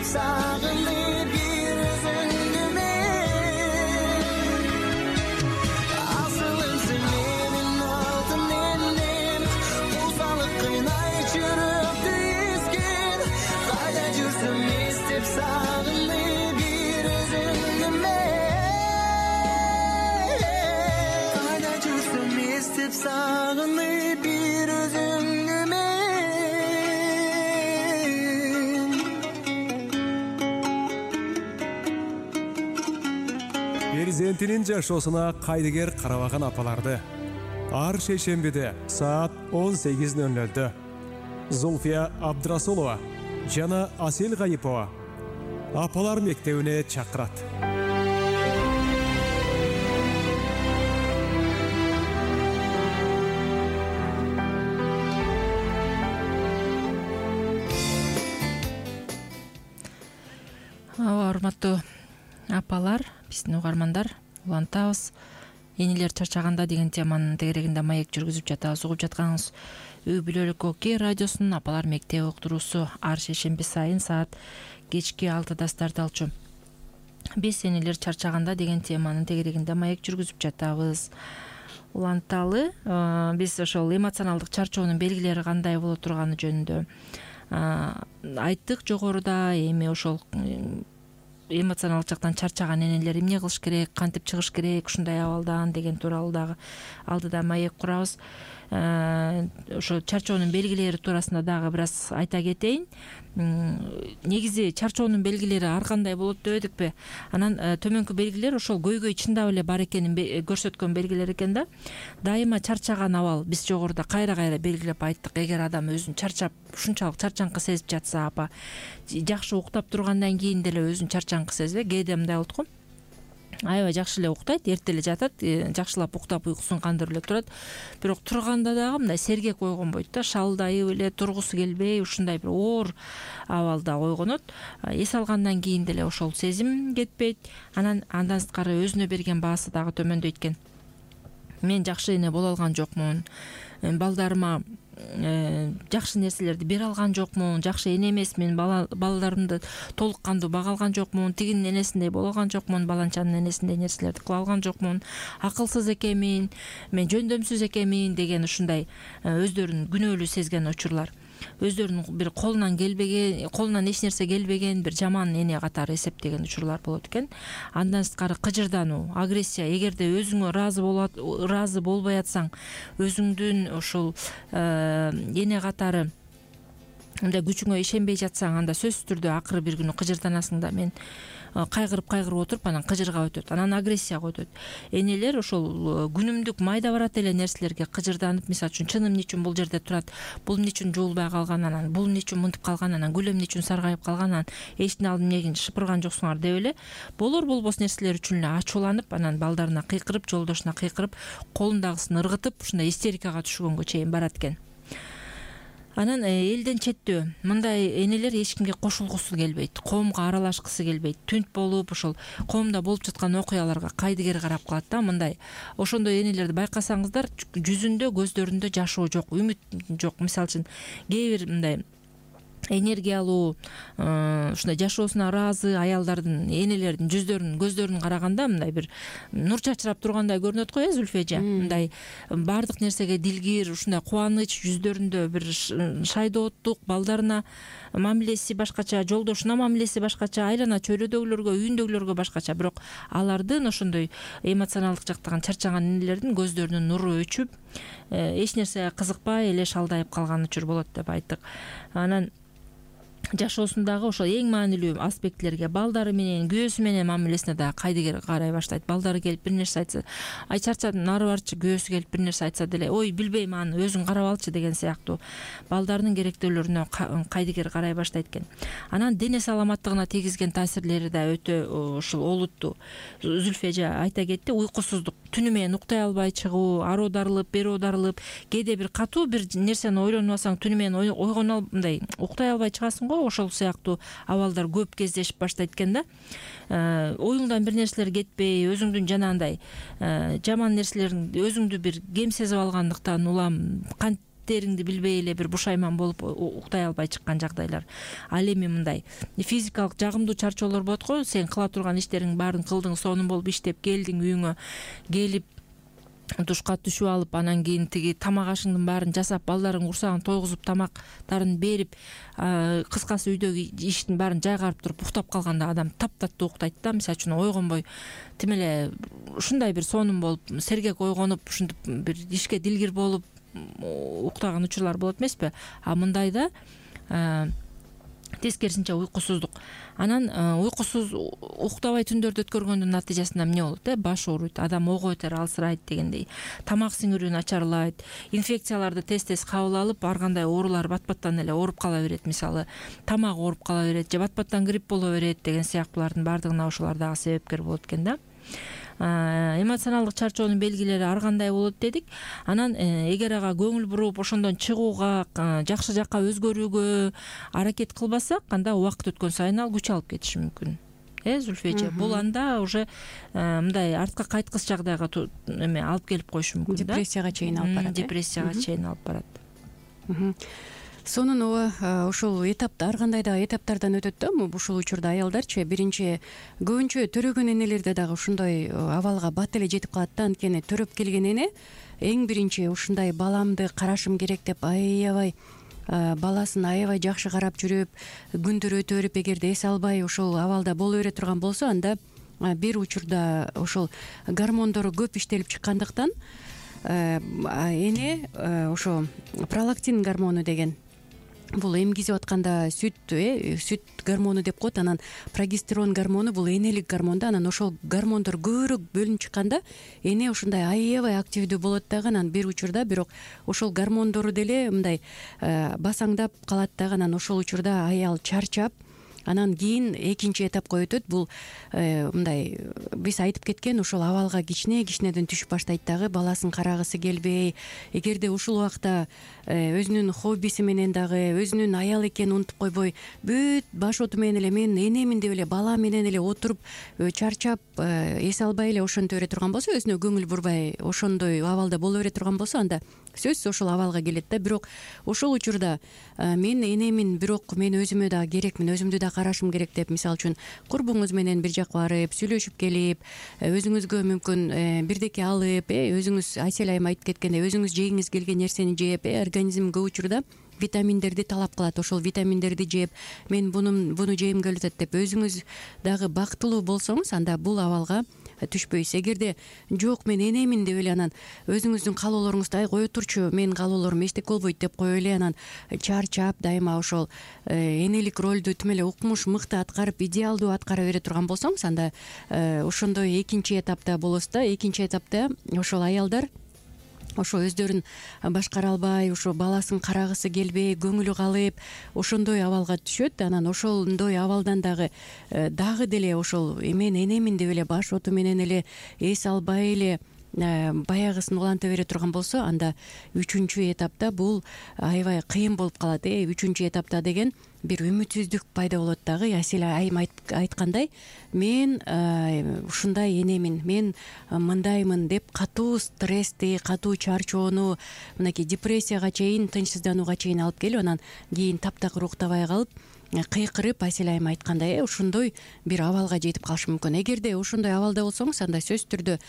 Speaker 4: Sağınıp bir özündü men asılımsın menin altın elim uzalık kıynayt жүрөктү эскен кайда жүрсөм эстеп сагынып бир өзүңдү мен кайда жүрсөм эстеп сагынып бир өзүңдү мен.
Speaker 1: Перзентинин жашоосуна кайдыгер карабаган апаларды ар шейшембиде саат 18:00 Зульфия Абдрасулова жана Асел Гайипова апалар мектебине чакырат.
Speaker 2: Урматтуу апалар, биздин угармандар, улантабыз. Энелер чарчаганда деген теманын тегерегинде маек жүргүзүп жатабыз. Угуп жатканыңыз үй бүлөлүк ОК радиосунун апалар мектеби уктуруусу ар шейшемби сайын саат кечки 6-да старт алчу. Биз энелер чарчаганда деген теманын тегерегинде маек жүргүзүп жатабыз. Уланталы, биз ошол эмоционалдык чарчоонун белгилери кандай боло турганы жөнүндө айттык жогоруда. Эми ошол эмоционалдык жактан чарчаган энелер эмне кылыш керек, кантип чыгыш керек ушундай абалдан деген тууралуу дагы алдыда маек курабыз. Ошо чарчоонун белгилери туурасында дагы бир аз айта кетейин. Негизи чарчоонун белгилери ар кандай болот деп эдикпи? Анан төмөнкү белгилер ошол көйгөй чындап эле бар экенин көрсөткөн белгилер экен да. Дайыма чарчаган абал биз жогоруда кайра белгилеп айттык. Эгер адам өзүн чарчап, ушунчалык чарчаңкы сезип жатса, апа жакшы уктап тургандан кийин деле өзүн чарчаңкы сезбей, кээде мындай болот го. Аябай жакшы эле уктайт, эрте эле жатат, жакшылап уктап уйкусун кандырып эле турат. Бирок турганда дагы мындай сергек ойгонбойт да, шалдайып эле тургусу келбей, ушундай бир оор абалда ойгонот. Эс алгандан кийин деле ошол сезим кетпейт. Андан сырткары өзүнө берген баасы дагы төмөндөйт экен. Мен жакшы эне боло алган жокмун, балдарыма жакшы нерселерди бере алган жокмун, жакшы эне эмесмин, балдарымды толук кандуу бага алган жокмун, тигинин энесиндей боло алган жокмун, баланчанын энесиндей нерселерди кыла алган жокмун, акылсыз экенмин, мен жөндөмсүз экенмин деген ушундай өздөрүн күнөөлүү сезген учурлар. Өздөрүнүн бир колунан эч нерсе келбеген, бир жаман эне катары эсептеген учурлар болот экен. Андан сырткары кыжырдануу, агрессия, эгерде өзүңө ыраазы болбой атсаң, өзүңдүн ошол эне катары мындай күчүңө ишенбей жатсаң, анда сөзсүз түрдө акыры бир күнү кыжырданасың да. Мен кайгырып отуруп анан кыжырга өтөт, анан агрессияга өтөт. Энелер ошол күнүмдүк майда барат эле нерселерге кыжырданып, мисалы үчүн чыным эмне үчүн бул жерде турат, бул эмне үчүн жуулбай калган, анан бул эмне үчүн мынтип калган, анан гүл эмне үчүн саргайып калган, анан эчтин алдын эмне шыпырган жоксуңар деп эле болбос нерселер үчүн эле ачууланып, анан балдарына кыйкырып, жолдошуна кыйкырып, колундагысын ыргытып, ушундай истерикага түшкөнгө чейин барат экен. Анан элден четтөө мындай энелер эч кимге кошулгусу келбейт, коомго аралашкысы келбейт, түнт болуп ошол коомдо болуп жаткан окуяларга кайдыгер карап калат да. Мындай ошондой энелерди байкасаңыздар, жүзүндө, көздөрүндө жашоо жок, үмүт жок. Мисалы үчүн кээ бир мындай энергиялуу, ушундай жашоосуна ыраазы аялдардын, энелердин жүздөрүн, көздөрүн караганда мындай бир нур чачырап тургандай көрүнөт го, Зүлфежа. Мындай баардык нерсеге дилгир, ушундай кубаныч, жүздөрүндө бир шайдооттук, балдарына мамилеси башкача, жолдошуна мамилеси башкача, айлана чөйрөдөгүлөргө, үйүндөгүлөргө башкача. Бирок алардын ошондой эмоционалдык жактан чарчаган энелердин көздөрүнүн нуру өчүп, эч нерсеге кызыкпай эле шалдайып калган учур болот деп айттык. Анан жашоосундагы ошол эң маанилүү аспектлерге, балдары менен, күйөөсү менен мамилесине да кайдыгер карай баштайт. Балдары келип бир нерсе айтса, ай чарчадым, нары барчы, күйөөсү келип бир нерсе айтса деле, ой билбейм аны, өзүң карап алчы деген сыяктуу балдарынын керектөөлөрүнө кайдыгер карай баштайт экен. Анан дене саламаттыгына тийгизген таасирлери да өтө ушул олуттуу. Зүлфежа айта кетти, уйкусуздук, түнү менен уктай албай чыгуу, ары оодарылып, бери оодарылып, кээде бир катуу бир нерсени ойлонуп алсаң, түнү менен ойгоно мындай уктай албай чыгасың го, ошол сыяктуу абалдар көп кездешип баштайт экен да. Оюңдан бир нерселер кетпей, өзүңдүн жанагындай жаман нерселерин өзүңдү бир кем сезип алгандыктан улам канттериңди билбей эле бир бушайман болуп уктай албай чыккан жагдайлар. Ал эми мындай физикалык жагымдуу чарчоолор болот го, сен кыла турган иштериң баарын кылдың, сонун болуп иштеп келдиң, үйүңө келип душка түшүп алып, анан кийин тиги тамак ашыңдын баарын жасап, балдарың курсагын тойгузуп, тамактарын берип, кыскасы үйдөгү иштин баарын жайгарып туруп уктап калганда адам таптаттуу уктайт да. Мисалы үчүн ойгонбой тим эле ушундай бир сонун болуп, сергек ойгонуп, ушинтип бир ишке дилгир болуп уктаган учурлар болот эмеспи? А мындайда тескерисинче уйкусуздук. Анан уйкусуз уктабай түндөрдү өткөргөндүн натыйжасында эмне болот? Баш ооруйт, адам ого өтөр, алсырайт дегендей. Тамак сиңирүү начарлайт, инфекцияларды тез кабыл алып, ар кандай оорулар бат-баттан эле ооруп кала берет. Мисалы, тамак ооруп кала берет же бат-баттан грипп боло берет деген сыяктуулардын баардыгына ошолор дагы себепкер болот экен да. Эмоционалдык чарчоонун белгилери ар кандай болот дедик. Анан эгер ага көңүл буруп, ошондон чыгууга, жакшы жакка өзгөрүүгө аракет кылбасак, анда убакыт өткөн сайын ал күч алып кетиши мүмкүн. Зүлфежа, бул анда уже мындай артка кайткыс жагдайга эме алып келип коюшу мүмкүн да.
Speaker 3: Депрессияга чейин алып барат.
Speaker 2: Депрессияга чейин алып барат.
Speaker 3: Сонун ошол этапта ар кандай да этаптардан өтөт да. Ушул учурда аялдарчы биринчи көбүнчө төрөгөн энелерде дагы ушундай абалга бат эле жетип калат да. Анткени төрөп келген эне эң биринчи ушундай баламды карашым керек деп аябай баласын аябай жакшы карап жүрүп, күндөр өтө берип, эгерде эс албай ошол абалда боло бере турган болсо, анда бир учурда ошол гормондору көп иштелип чыккандыктан эне ошо пролактин гормону деген, бул эмгизип атканда сүт гормону деп коет. Анан прогестерон гормону бул энелик гормон да. Анан ошол гормондор көбүрөөк бөлүнүп чыкканда эне ушундай аябай активдүү болот дагы. Анан бир учурда бирок ошол гормондору деле мындай басаңдап калат дагы. Анан ошол учурда аял чарчап, анан кийин экинчи этапка өтөт. Бул мындай биз айтып кеткен ошол абалга кичинеден түшүп баштайт дагы, баласын карагысы келбей, эгерде ушул убакта өзүнүн хоббиси менен дагы өзүнүн аял экенин унутуп койбой, бүт баш оту менен эле мен энемин деп эле бала менен эле отуруп чарчап эс албай эле ошентип бере турган болсо, өзүнө көңүл бурбай ошондой абалда боло бере турган болсо, анда сөзсүз ошол абалга келет да. Бирок ошол учурда мен энемин, бирок мен өзүмө да керекмин, өзүмдү да карашым керек деп, мисалы үчүн курбуңуз менен бир жака барып сүйлөшүп келип, өзүңүзгө мүмкүн бирдеке алып, өзүңүз Айсел айым айтып кеткендей, өзүңүз жегиңиз келген нерсени жеп, организм көп учурда витаминдерди талап кылат. Ошол витаминдерди жеп, мен буну жегим келип атат деп өзүңүз дагы бактылуу болсоңуз, анда бул абалга түшпөйсүз. Эгерде жок мен энемин деп эле анан өзүңүздүн каалоолоруңузду ай кое турчу менин каалоолорум эчтеке болбойт деп коюп эле анан чарчап дайыма ошол энелик ролду тим эле укмуш мыкты аткарып идеалдуу аткара бере турган болсоңуз, анда ошондой экинчи этапта болосуз да. Экинчи этапта ошол аялдар ошо өздөрүн башкара албай, ошо баласын карагысы келбей, көңүлү калып, ошондой абалга түшөт. Анан ошондой абалдан дагы деле ошол мен энемин деп эле баш оту менен эле эс албай эле баягысын уланта бере турган болсо, анда үчүнчү этапта бул аябай кыйын болуп калат. Үчүнчү этапта деген бир үмүтсүздүк пайда болот дагы. Асель айым айткандай, мен ушундай энемин, мен мындаймын деп катуу стрессти, катуу чарчоону, мынакей депрессияга чейин, тынчсызданууга чейин алып келип, анан кийин таптакыр уктабай калып, кыйкырып, Асель айым айткандай ошондой бир абалга жетип калышы мүмкүн. Эгерде ошондой абалда болсоңуз, анда сөзсүз түрдө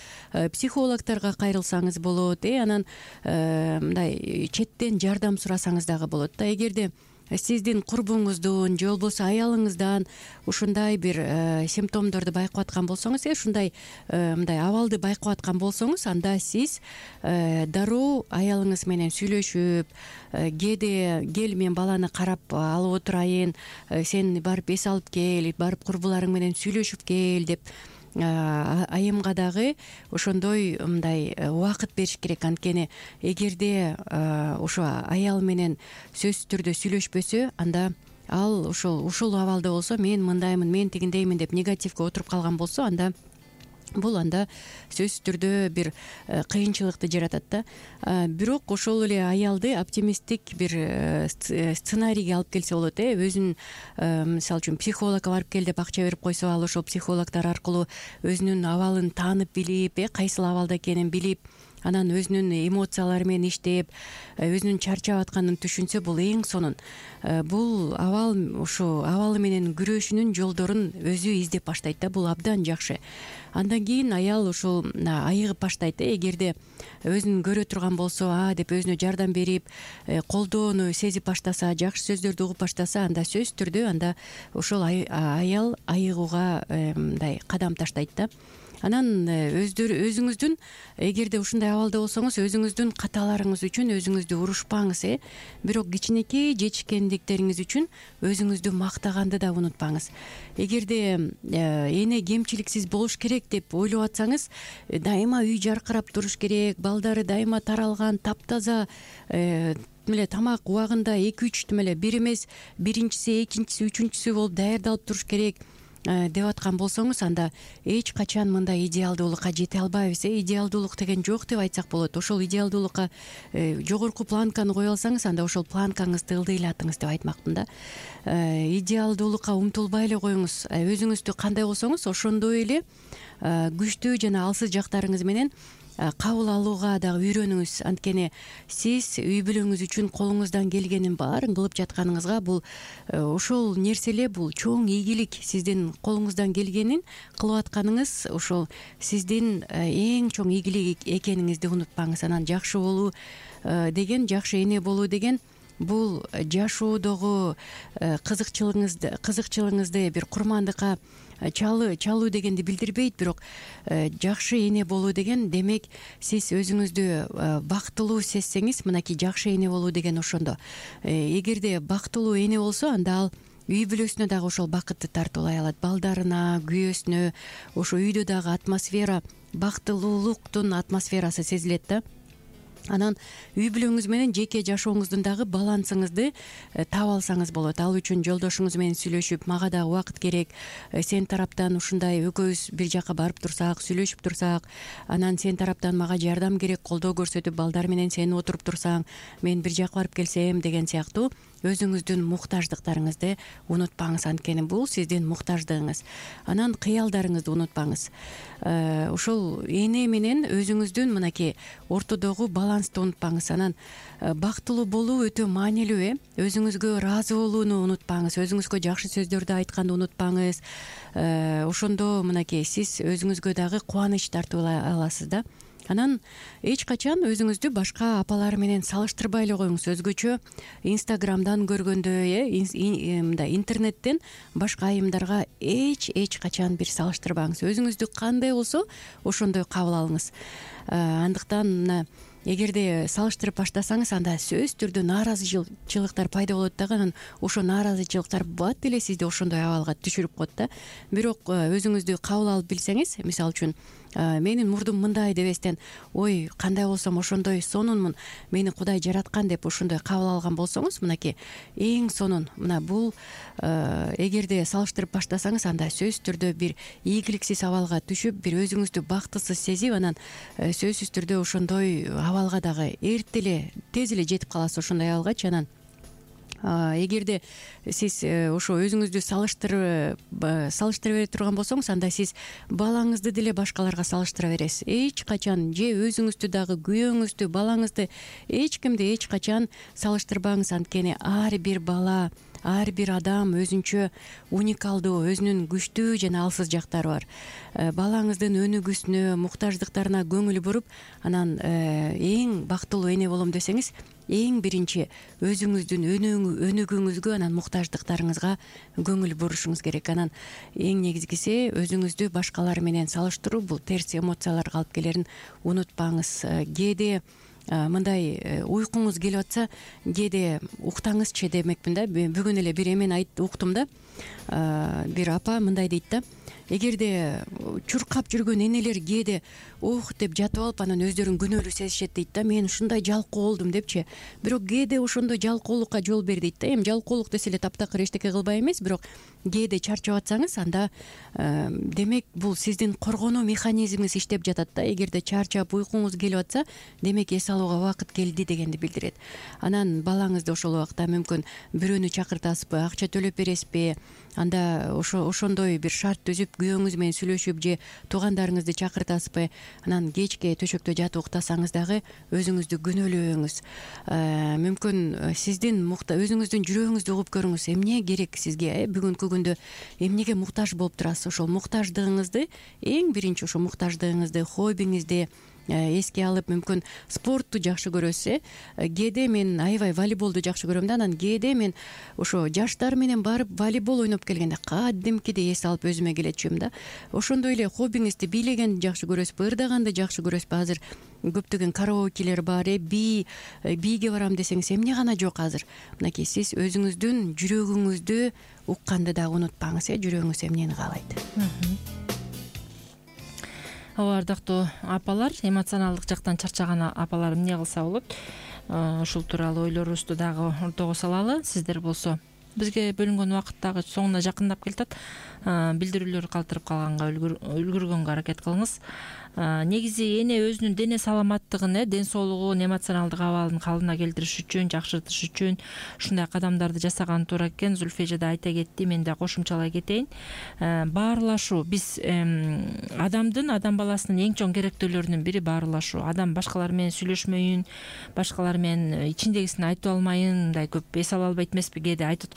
Speaker 3: психологторго кайрылсаңыз болот, анан мындай четтен жардам сурасаңыз дагы болот да. Эгерде сиздин курбуңуздун же болбосо аялыңыздан ушундай бир симптомдорду байкап аткан болсоңуз, ушундай мындай абалды байкап аткан болсоңуз, анда сиз дароо аялыңыз менен сүйлөшүп, кел мен баланы карап алып отурайын, сен барып эс алып кел, барып курбуларың менен сүйлөшүп кел деп айымга дагы ошондой мындай убакыт бериш керек. Анткени эгерде ошо аял менен сөзсүз түрдө сүйлөшпөсө, анда ал ушул абалда болсо, мен мындаймын, мен тигиндеймин деп негативге отуруп калган болсо, анда бул сөзсүз түрдө бир кыйынчылыкты жаратат да. Бирок ошол эле аялды оптимисттик бир сценарийге алып келсе болот. Өзүн мисалы үчүн психологко барып кел деп акча берип койсо, ал ошол психологдор аркылуу өзүнүн абалын таанып билип, кайсыл абалда экенин билип, анан өзүнүн эмоциялары менен иштеп, өзүнүн чарчап атканын түшүнсө, бул эң сонун. Бул абал ушу абалы менен күрөшүүнүн жолдорун өзү издеп баштайт да. Бул абдан жакшы. Андан кийин аял ушул айыгып баштайт. Эгерде өзүн көрө турган болсо, деп өзүнө жардам берип, колдоону сезип баштаса, жакшы сөздөрдү угуп баштаса, анда сөзсүз түрдө анда ошол аял айыгууга мындай кадам таштайт да. Анан өзүңүздүн, эгерде ушундай абалда болсоңуз, өзүңүздүн каталарыңыз үчүн өзүңүздү урушпаңыз. Бирок кичинекей жетишкендиктериңиз үчүн өзүңүздү мактаганды да унутпаңыз. Эгерде эне кемчиликсиз болуш керек деп ойлоп атсаңыз, дайыма үй жаркырап туруш керек, балдары дайыма таралган, таптаза, эле тамак убагында 2-3 бир эмес, биринчиси, экинчиси, үчүнчүсү болуп даярдалып туруш керек деп аткан болсоңуз, анда эч качан мындай идеалдуулукка жете албайбыз. Идеалдуулук деген жок деп айтсак болот. Ошол идеалдуулукка жогорку планканы кое алсаңыз, анда ошол планкаңызды ылдыйлатыңыз деп айтмакмын да. Идеалдуулукка умтулбай эле коюңуз. Өзүңүздү кандай болсоңуз, ошондой эле күчтүү жана алсыз жактарыңыз менен кабыл алууга дагы үйрөнүңүз. Анткени сиз үй бүлөңүз үчүн колуңуздан келгенин баарын кылып жатканыңызга, бул ошол нерселер, бул чоң ийгилик. Сиздин колуңуздан келгенин кылып атканыңыз ошол сиздин эң чоң ийгилик экениңизди унутпаңыз. Анан жакшы болуу деген, жакшы эне болуу деген, бул жашоодогу кызыкчылыгыңызды бир курмандыкка чалуу дегенди билдирбейт. Бирок жакшы эне болуу деген, демек сиз өзүңүздү бактылуу сезсеңиз, мынакей жакшы эне болуу деген ошондо. Эгерде бактылуу эне болсо, анда ал үй бүлөсүнө дагы ошол бакытты тартуулай алат. Балдарына, күйөөсүнө, ошо үйдө дагы атмосфера, бактылуулуктун атмосферасы сезилет да. Анан үй бүлөңүз менен жеке жашооңуздун дагы балансыңызды таап алсаңыз болот. Ал үчүн жолдошуңуз менен сүйлөшүп, мага дагы убакыт керек, сен тараптан ушундай экөөбүз бир жака барып турсак, сүйлөшүп турсак, анан сен тараптан мага жардам керек, колдоо көрсөтүп, балдар менен сен отуруп турсаң, мен бир жака барып келсем деген сыяктуу өзүңүздүн муктаждыктарыңызды унутпаңыз. Анткени бул сиздин муктаждыгыңыз. Анан кыялдарыңызды унутпаңыз. Ошол эне менен өзүңүздүн мынакей ортодогу балансты унутпаңыз. Анан бактылуу болуу өтө маанилүү. Өзүңүзгө ыраазы болууну унутпаңыз. Өзүңүзгө жакшы сөздөрдү айтканды унутпаңыз. Ошондо мынакей сиз өзүңүзгө дагы кубаныч тартуулай аласыз да. Анан эч качан өзүңүздү башка апалар менен салыштырбай эле коюңуз. Өзгөчө Инстаграмдан көргөндө, мындай интернеттен башка айымдарга эч качан бир салыштырбаңыз. Өзүңүздү кандай болсо ошондой кабыл алыңыз. Андыктан мына эгерде салыштырып баштасаңыз, анда сөзсүз түрдө нааразычылыктар пайда болот дагы. Анан ошо нааразычылыктар бат эле сизди ошондой абалга түшүрүп коет да. Бирок өзүңүздү кабыл алып билсеңиз, мисалы үчүн менин мурдум мындай дебестен, ой кандай болсом ошондой сонунмун, мени Кудай жараткан деп ошондой кабыл алган болсоңуз, мынакей эң сонун. Мына бул эгерде салыштырып баштасаңыз, анда сөзсүз түрдө бир ийгиликсиз абалга түшүп, бир өзүңүздү бактысыз сезип, анан сөзсүз түрдө ошондой абалга дагы эрте эле, тез эле жетип каласыз ошондой абалгачы. Анан эгерде сиз ошо өзүңүздү салыштыра бере турган болсоңуз, анда сиз балаңызды деле башкаларга салыштыра бересиз. Эч качан же өзүңүздү дагы, күйөөңүздү, балаңызды эч кимди эч качан салыштырбаңыз. Анткени ар бир бала, ар бир адам өзүнчө уникалдуу, өзүнүн күчтүү жана алсыз жактары бар. Балаңыздын өнүгүүсүнө, муктаждыктарына көңүл буруп, анан эң бактылуу эне болом десеңиз, эң биринчи өзүңүздүн өнүгүүңүзгө, анан муктаждыктарыңызга көңүл бурушуңуз керек. Анан эң негизгиси өзүңүздү башкалар менен салыштыруу, бул терс эмоцияларга алып келерин унутпаңыз. Кээде мындай уйкуңуз келип атса, кээде уктаңызчы демекмин да. Бүгүн эле бир эмени уктум да. Бир апа мындай дейт да: эгерде чуркап жүргөн энелер кээде ох деп жатып алып, анан өздөрүн күнөөлүү сезишет дейт да. Мен ушундай жалкоо болдум депчи. Бирок кээде ошондой жалкоолукка жол бер дейт да. Эми жалкоолук десе эле таптакыр эчтеке кылбай эмес, бирок кээде чарчап атсаңыз, анда демек бул сиздин коргонуу механизмиңиз иштеп жатат да. Эгерде чарчап уйкуңуз келип атса, демек эс алууга убакыт келди дегенди билдирет. Анан балаңызды ошол убакта мүмкүн бирөөнү чакыртасызбы, акча төлөп бересизби, анда ошондой бир шарт түзүп күйөөңүз менен сүйлөшүп, же туугандарыңызды чакыртасызбы. Анан кечке төшөктө жатып уктасаңыз дагы өзүңүздү күнөөлөбөңүз. Мүмкүн сиздин өзүңүздүн жүрөгүңүздү угуп көрүңүз. Эмне керек сизге? Бүгүнкү күндө эмнеге муктаж болуп турасыз? Ошол муктаждыгыңызды, эң биринчи ошо муктаждыгыңызды, хоббиңизди эске алып, мүмкүн спортту жакшы көрөсүз. Кээде мен аябай волейболду жакшы көрөм да. Анан кээде мен ошо жаштар менен барып волейбол ойноп келгенде кадимкидей эс алып өзүмө келечүмүн да. Ошондой эле хоббиңизди, бийлегенди жакшы көрөсүзбү, ырдаганды жакшы көрөсүзбү? Азыр көптөгөн караокелер бар. Бийге барам десеңиз эмне гана жок азыр. Мынакей сиз өзүңүздүн жүрөгүңүздү укканды дагы унутпаңыз. Жүрөгүңүз эмнени каалайт?
Speaker 2: Ооба, ардактуу апалар, эмоционалдык жактан чарчаган апалар эмне кылса болот? Ушул тууралуу ойлорубузду дагы ортого салалы. Сиздер болсо бизге бөлүнгөн убакыт дагы соңуна жакындап келатат. Билдирүүлөр калтырып калганга үлгүргөнгө аракет кылыңыз. Негизи эне өзүнүн дене саламаттыгын, ден соолугун, эмоционалдык абалын калыбына келтириш үчүн, жакшыртыш үчүн ушундай кадамдарды жасаган туура экен. Зульфия да айта кетти, мен да кошумчалай кетейин. Баарылашуу. Биз адам баласынын эң чоң керектөөлөрүнүн бири баарылашуу. Адам башкалар менен сүйлөшмөйүн, башкалар менен ичиндегисин айтып алмайын, мындай көп эс ала албайт эмеспи? Кээде айтат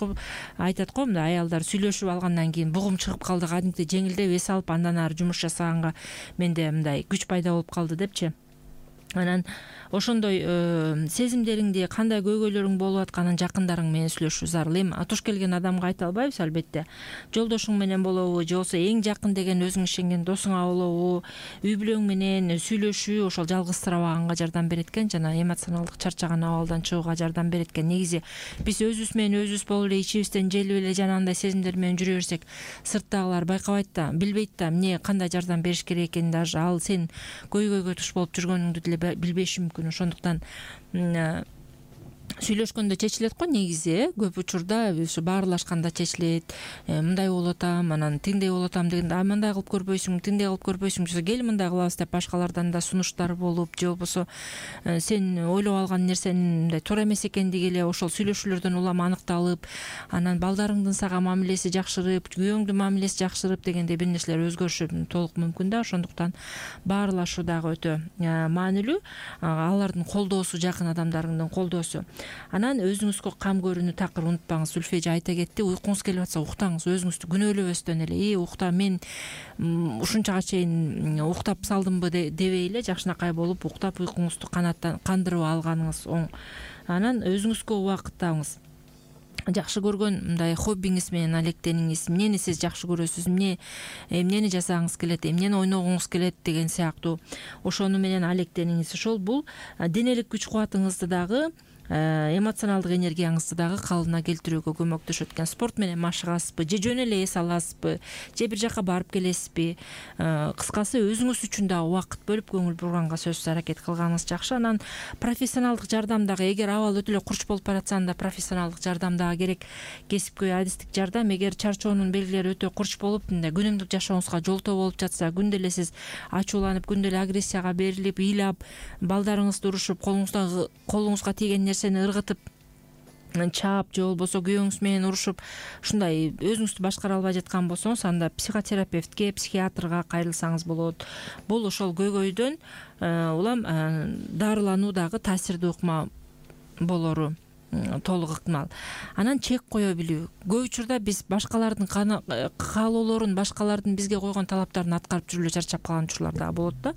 Speaker 2: го, мындай аялдар сүйлөшүп алгандан кийин бугум чыгып калды, кадимки жеңилдеп эс алып, андан ары жумуш жасаганга менде мындай күч пайда болуп калды депчи. Анан ошондой сезимдериңди, кандай көйгөйлөрүң болуп атканын жакындарың менен сүйлөшүү зарыл. Эми туш келген адамга айта албайбыз, албетте. Жолдошуң менен болобу, же болбосо эң жакын деген өзүң ишенген досуңа болобу, үй бүлөң менен сүйлөшүү ошол жалгызсырабаганга жардам берет экен, жана эмоционалдык чарчаган абалдан чыгууга жардам берет экен. Негизи биз өзүбүз менен өзүбүз болуп эле ичибизден желип эле жанагындай сезимдер менен жүрө берсек, сырттагылар байкабайт да, билбейт да эмне кандай жардам бериш керек экенин. Даже ал сен көйгөйгө туш болуп жүргөнүңдү деле билбеши мүмкүн. Ошондуктан сүйлөшкөндө чечилет го негизи. Көп учурда ушу баарылашканда чечилет. Мындай болуп атам, анан тиңдей болуп атам дегенде, мындай кылып көрбөйсүңбү, тиңдей кылып көрбөйсүңбү, кел мындай кылабыз деп башкалардан да сунуштар болуп, же болбосо сен ойлоп алган нерсенин мындай туура эмес экендиги эле ошол сүйлөшүүлөрдөн улам аныкталып, анан балдарыңдын сага мамилеси жакшырып, күйөөңдүн мамилеси жакшырып дегендей бир нерселер өзгөрүшү толук мүмкүн да. Ошондуктан баарылашуу дагы өтө маанилүү. Алардын колдоосу, жакын адамдарыңдын колдоосу. Анан өзүңүзгө кам көрүүнү такыр унутпаңыз. Зүлфия эже айта кетти, уйкуңуз келип атса уктаңыз, өзүңүздү күнөөлөбөстөн эле укта мен ушунчага чейин уктап салдымбы дебей эле жакшынакай болуп уктап уйкуңузду кандырып алганыңыз оң. Анан өзүңүзгө убакыт табыңыз. Жакшы көргөн мындай хоббиңиз менен алектениңиз. Эмнени сиз жакшы көрөсүз, эмнени жасагыңыз келет, эмнени ойногуңуз келет деген сыяктуу ошону менен алектениңиз. Ошол бул денелик күч кубатыңызды дагы, эмоционалдык энергияңызды дагы калыбына келтирүүгө көмөктөшөт экен. Спорт менен машыгасызбы, же жөн эле эс аласызбы, же бир жака барып келесизби? Кыскасы өзүңүз үчүн дагы убакыт бөлүп көңүл бурганга сөзсүз аракет кылганыңыз жакшы. Анан профессионалдык жардам дагы, эгер абал өтө эле курч болуп баратса, анда профессионалдык жардам дагы керек. Кесипкөй адистик жардам. Эгер чарчоонун белгилери өтө курч болуп, күнүмдүк жашооңузга жолтоо болуп жатса, күндө эле сиз ачууланып, күндө эле агрессияга берилип, ыйлап, балдарыңызды урушуп, колуңузга тийген нерсени ыргытып чаап, же болбосо күйөөңүз менен урушуп, ушундай өзүңүздү башкара албай жаткан болсоңуз, анда психотерапевтке, психиатрга кайрылсаңыз болот. Бул ошол көйгөйдөн улам дарылануу дагы таасирдүү ыкма болору толук ыктымал. Анан чек кое билүү. Көп учурда биз башкалардын каалоолорун, башкалардын бизге койгон талаптарын аткарып жүрүп эле чарчап калган учурлар дагы болот да.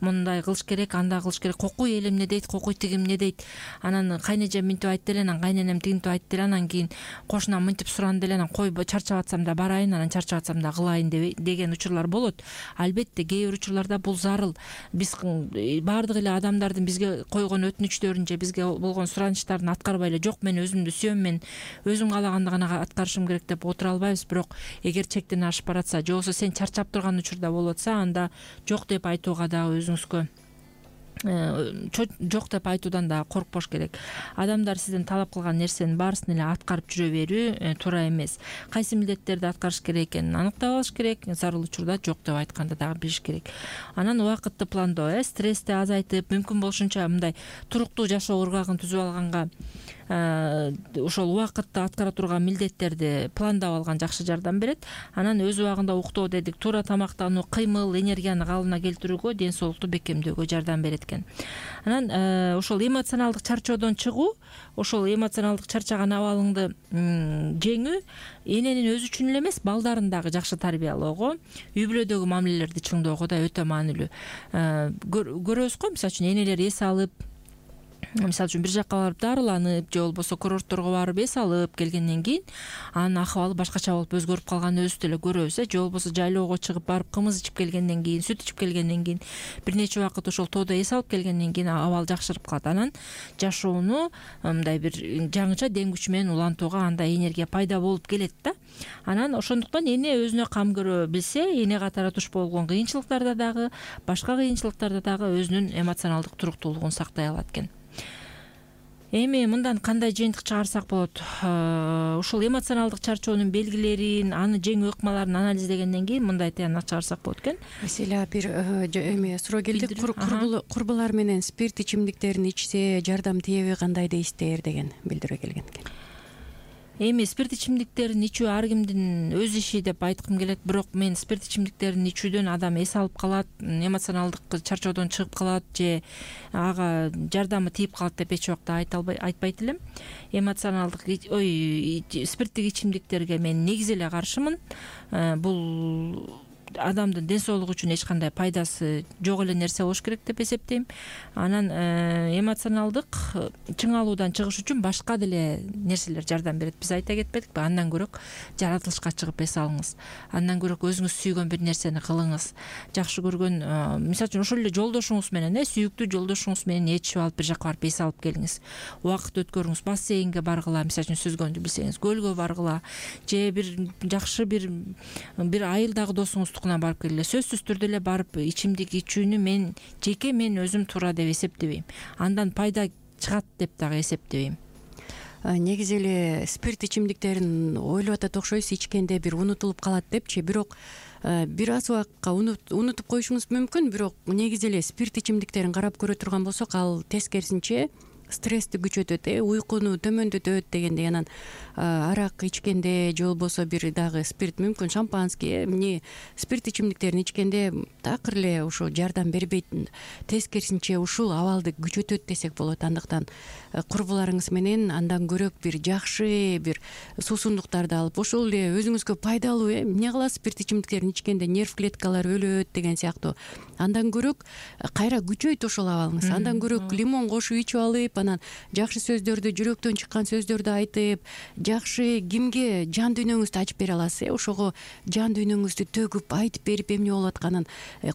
Speaker 2: Мындай кылыш керек, андай кылыш керек. Кокуй элим эмне дейт, кокуй тигим эмне дейт. Анан кайнежем мынтип айтты эле, анан кайненем тигинтип айтты эле, анан кийин кошунам мынтип суранды эле, анан кой чарчап атсам да барайын, анан чарчап атсам да кылайын деген учурлар болот. Албетте кээ бир учурларда бул зарыл. Биз баардык эле адамдардын бизге койгон өтүнүчтөрүн же бизге болгон суранычтарын аткарбай жок, мен өзүмдү сүйөм, мен өзүм каалаганды гана аткарышым керек деп отура албайбыз. Бирок эгер чектен ашып баратса, же болбосо сен чарчап турган учурда болуп атса, анда жок деп айтууга дагы өзүңүзгө жок деп айтуудан дагы коркпош керек. Адамдар сизден талап кылган нерсенин баарысын эле аткарып жүрө берүү туура эмес. Кайсы милдеттерди аткарыш керек экенин аныктап алыш керек, зарыл учурда жок деп айтканды дагы билиш керек. Анан убакытты пландоо, стрессти азайтып, мүмкүн болушунча мындай туруктуу жашоо ыргагын түзүп алганга ошол убакытта аткара турган милдеттерди пландап алган жакшы жардам берет. Анан өз убагында уктоо дедик, туура тамактануу, кыймыл, энергияны калыбына келтирүүгө, ден соолукту бекемдөөгө жардам берет экен. Анан ошол эмоционалдык чарчоодон чыгуу, ошол эмоционалдык чарчаган абалыңды жеңүү эненин өзү үчүн эле эмес, балдарын дагы жакшы тарбиялоого, үй бүлөдөгү мамилелерди чыңдоого да өтө маанилүү. Көрөбүз го, мисалы үчүн энелер эс алып, мисалы үчүн бир жакка барып дарыланып, же болбосо курортторго барып эс алып келгенден кийин анын акыбалы башкача болуп өзгөрүп калганын өзүбүз деле көрөбүз. Же болбосо жайлоого чыгып барып кымыз ичип келгенден кийин, сүт ичип келгенден кийин, бир нече убакыт ошол тоодо эс алып келгенден кийин абал жакшырып калат. Анан жашоону мындай бир жаңыча дем күч менен улантууга андай энергия пайда болуп келет да. Анан ошондуктан эне өзүнө кам көрө билсе, эне катары туш болгон кыйынчылыктарда дагы, башка кыйынчылыктарда дагы өзүнүн эмоционалдык туруктуулугун сактай алат экен. Эми мындан кандай жыйынтык чыгарсак болот? Ушул эмоционалдык чарчоонун белгилерин, аны жеңүү ыкмаларын анализдегенден кийин мындай тыянак чыгарсак болот экен.
Speaker 3: Маселе бир эме суроо келди. Курбулар менен спирт ичимдиктерин ичсе жардам тиеби, кандай дейсиздер деген билдирүү келген экен.
Speaker 2: Эми спирт ичимдиктерин ичүү ар кимдин өз иши деп айткым келет, бирок мен спирт ичимдиктерин ичүүдөн адам эс алып калат, эмоционалдык чарчоодон чыгып калат же ага жардамы тийип калат деп эч убакта айтпайт элем. Эмоционалдык спирттик ичимдиктерге мен негизи эле каршымын. Бул адамдын ден соолугу үчүн эч кандай пайдасы жок эле нерсе болуш керек деп эсептейм. Анан эмоционалдык чың алуудан чыгыш үчүн башка деле нерселер жардам берет. Биз айта кетпедикпи? Андан көрөк жаратылышка чыгып эс алыңыз. Андан көрөк өзүңүз сүйгөн бир нерсени кылыңыз. Жакшы көргөн, мисалы үчүн ошол эле жолдошуңуз менен, сүйүктүү жолдошуңуз менен ээрчип алып бир жака барып эс алып келиңиз. Убакыт өткөрүңүз, бассейнге баргыла, мисалы үчүн сүзгөндү билсеңиз, көлгө баргыла, же бир жакшы бир айылдагы досуңуз барып келгиле. Сөзсүз түрдө эле барып ичимдик ичүүнү мен өзүм туура деп эсептебейм. Андан пайда чыгат деп дагы эсептебейм.
Speaker 3: Негизи эле спирт ичимдиктерин ойлоп атат окшойсуз, ичкенде бир унутулуп калат депчи. Бирок бир аз убакытка унутуп коюшуңуз мүмкүн, бирок негизи эле спирт ичимдиктерин карап көрө турган болсок, ал тескерисинче стрессти күчөтөт, уйкуну төмөндөтөт дегендей. Анан арак ичкенде же болбосо бир дагы спирт, мүмкүн шампанский, эмне спирт ичимдиктерин ичкенде такыр эле ушул жардам бербейт, тескерисинче ушул абалды күчөтөт десек болот. Андыктан курбуларыңыз менен андан көрөк бир жакшы бир суусундуктарды алып, ошол эле өзүңүзгө пайдалуу, эмне кыласыз спирт ичимдиктерин ичкенде нерв клеткалары өлөт деген сыяктуу. Андан көрөк кайра күчөйт ошол абалыңыз. Андан көрөк лимон кошуп ичип алып, анан жакшы сөздөрдү, жүрөктөн чыккан сөздөрдү айтып, жакшы кимге жан дүйнөңүздү ачып бере аласыз, ошого жан дүйнөңүздү төгүп айтып берип, эмне болуп атканын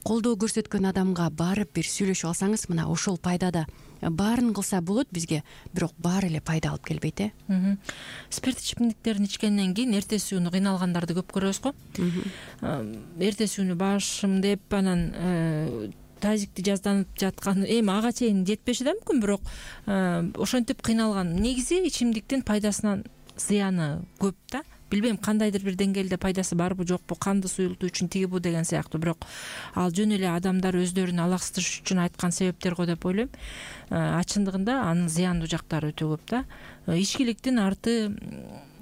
Speaker 3: колдоо көрсөткөн адамга барып бир сүйлөшүп алсаңыз, мына ошол пайдада. Баарын кылса болот бизге, бирок баары эле пайда алып келбейт.
Speaker 2: Спирт ичимдиктерин ичкенден кийин эртеси күнү кыйналгандарды көп көрөбүз го. Эртеси күнү башым деп, анан тазикти жазданып жаткан, эми ага чейин жетпеши да мүмкүн, бирок ошентип кыйналган. Негизи ичимдиктин пайдасынан зыяны көп да. Билбейм, кандайдыр бир деңгээлде пайдасы барбы жокпу, канды суюлтуу үчүн тиги бу деген сыяктуу, бирок ал жөн эле адамдар өздөрүн алаксытыш үчүн айткан себептер го деп ойлойм. Чындыгында анын зыяндуу жактары өтө көп да. Ичкиликтин арты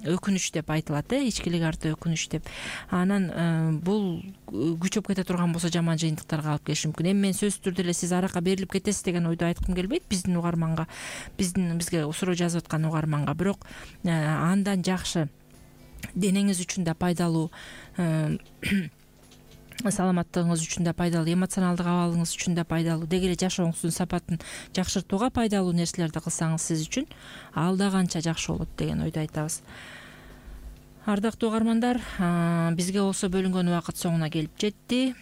Speaker 2: өкүнүч деп айтылат, ичкилик арты өкүнүч деп. Анан бул күчөп кете турган болсо жаман жыйынтыктарга алып келиши мүмкүн. Эми мен сөзсүз түрдө эле сиз аракка берилип кетесиз деген ойду айткым келбейт биздин угарманга, бизге суроо жазып аткан угарманга, бирок андан жакшы, денеңиз үчүн да пайдалуу, саламаттыгыңыз үчүн да пайдалуу, эмоционалдык абалыңыз үчүн да пайдалуу, деги эле жашооңуздун сапатын жакшыртууга пайдалуу нерселерди кылсаңыз сиз үчүн ал да канча жакшы болот деген ойду айтабыз. Ардактуу угармандар, бизге болсо бөлүнгөн убакыт соңуна келип жетти.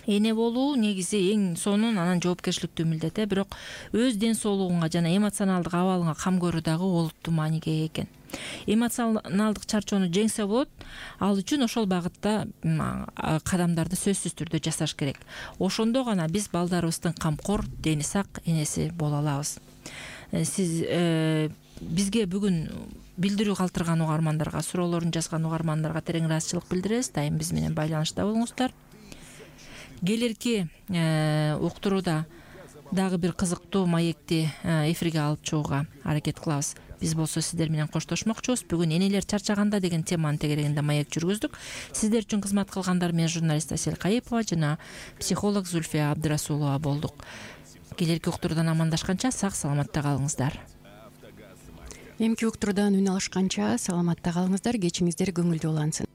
Speaker 2: Эне болуу негизи эң сонун, анан жоопкерчиликтүү милдет, бирок өз ден соолугуңа жана эмоционалдык абалыңа кам көрүү дагы олуттуу мааниге ээ экен. Эмоционалдык чарчоону жеңсе болот, ал үчүн ошол багытта кадамдарды сөзсүз түрдө жасаш керек. Ошондо гана биз балдарыбыздын камкор, дени сак энеси боло алабыз. Сиз бизге бүгүн билдирүү калтырган угармандарга, суроолорун жазган угармандарга терең ыраазычылык билдиребиз. Дайым биз менен байланышта болуңуздар. Келерки уктурууда дагы бир кызыктуу маекти эфирге алып чыгууга аракет кылабыз. Биз болсо сиздер менен коштошмокчубуз. Бүгүн энелер чарчаганда деген теманын тегерегинде маек жүргүздүк. Сиздер үчүн кызмат кылгандар мен журналист Асель Кайыпова жана психолог Зульфия Абдрасулова болдук. Келерки уктуруудан амандашканча сак саламатта калыңыздар.
Speaker 3: Эмки уктуруудан үн алышканча саламатта калыңыздар, кечиңиздер көңүлдүү улансын.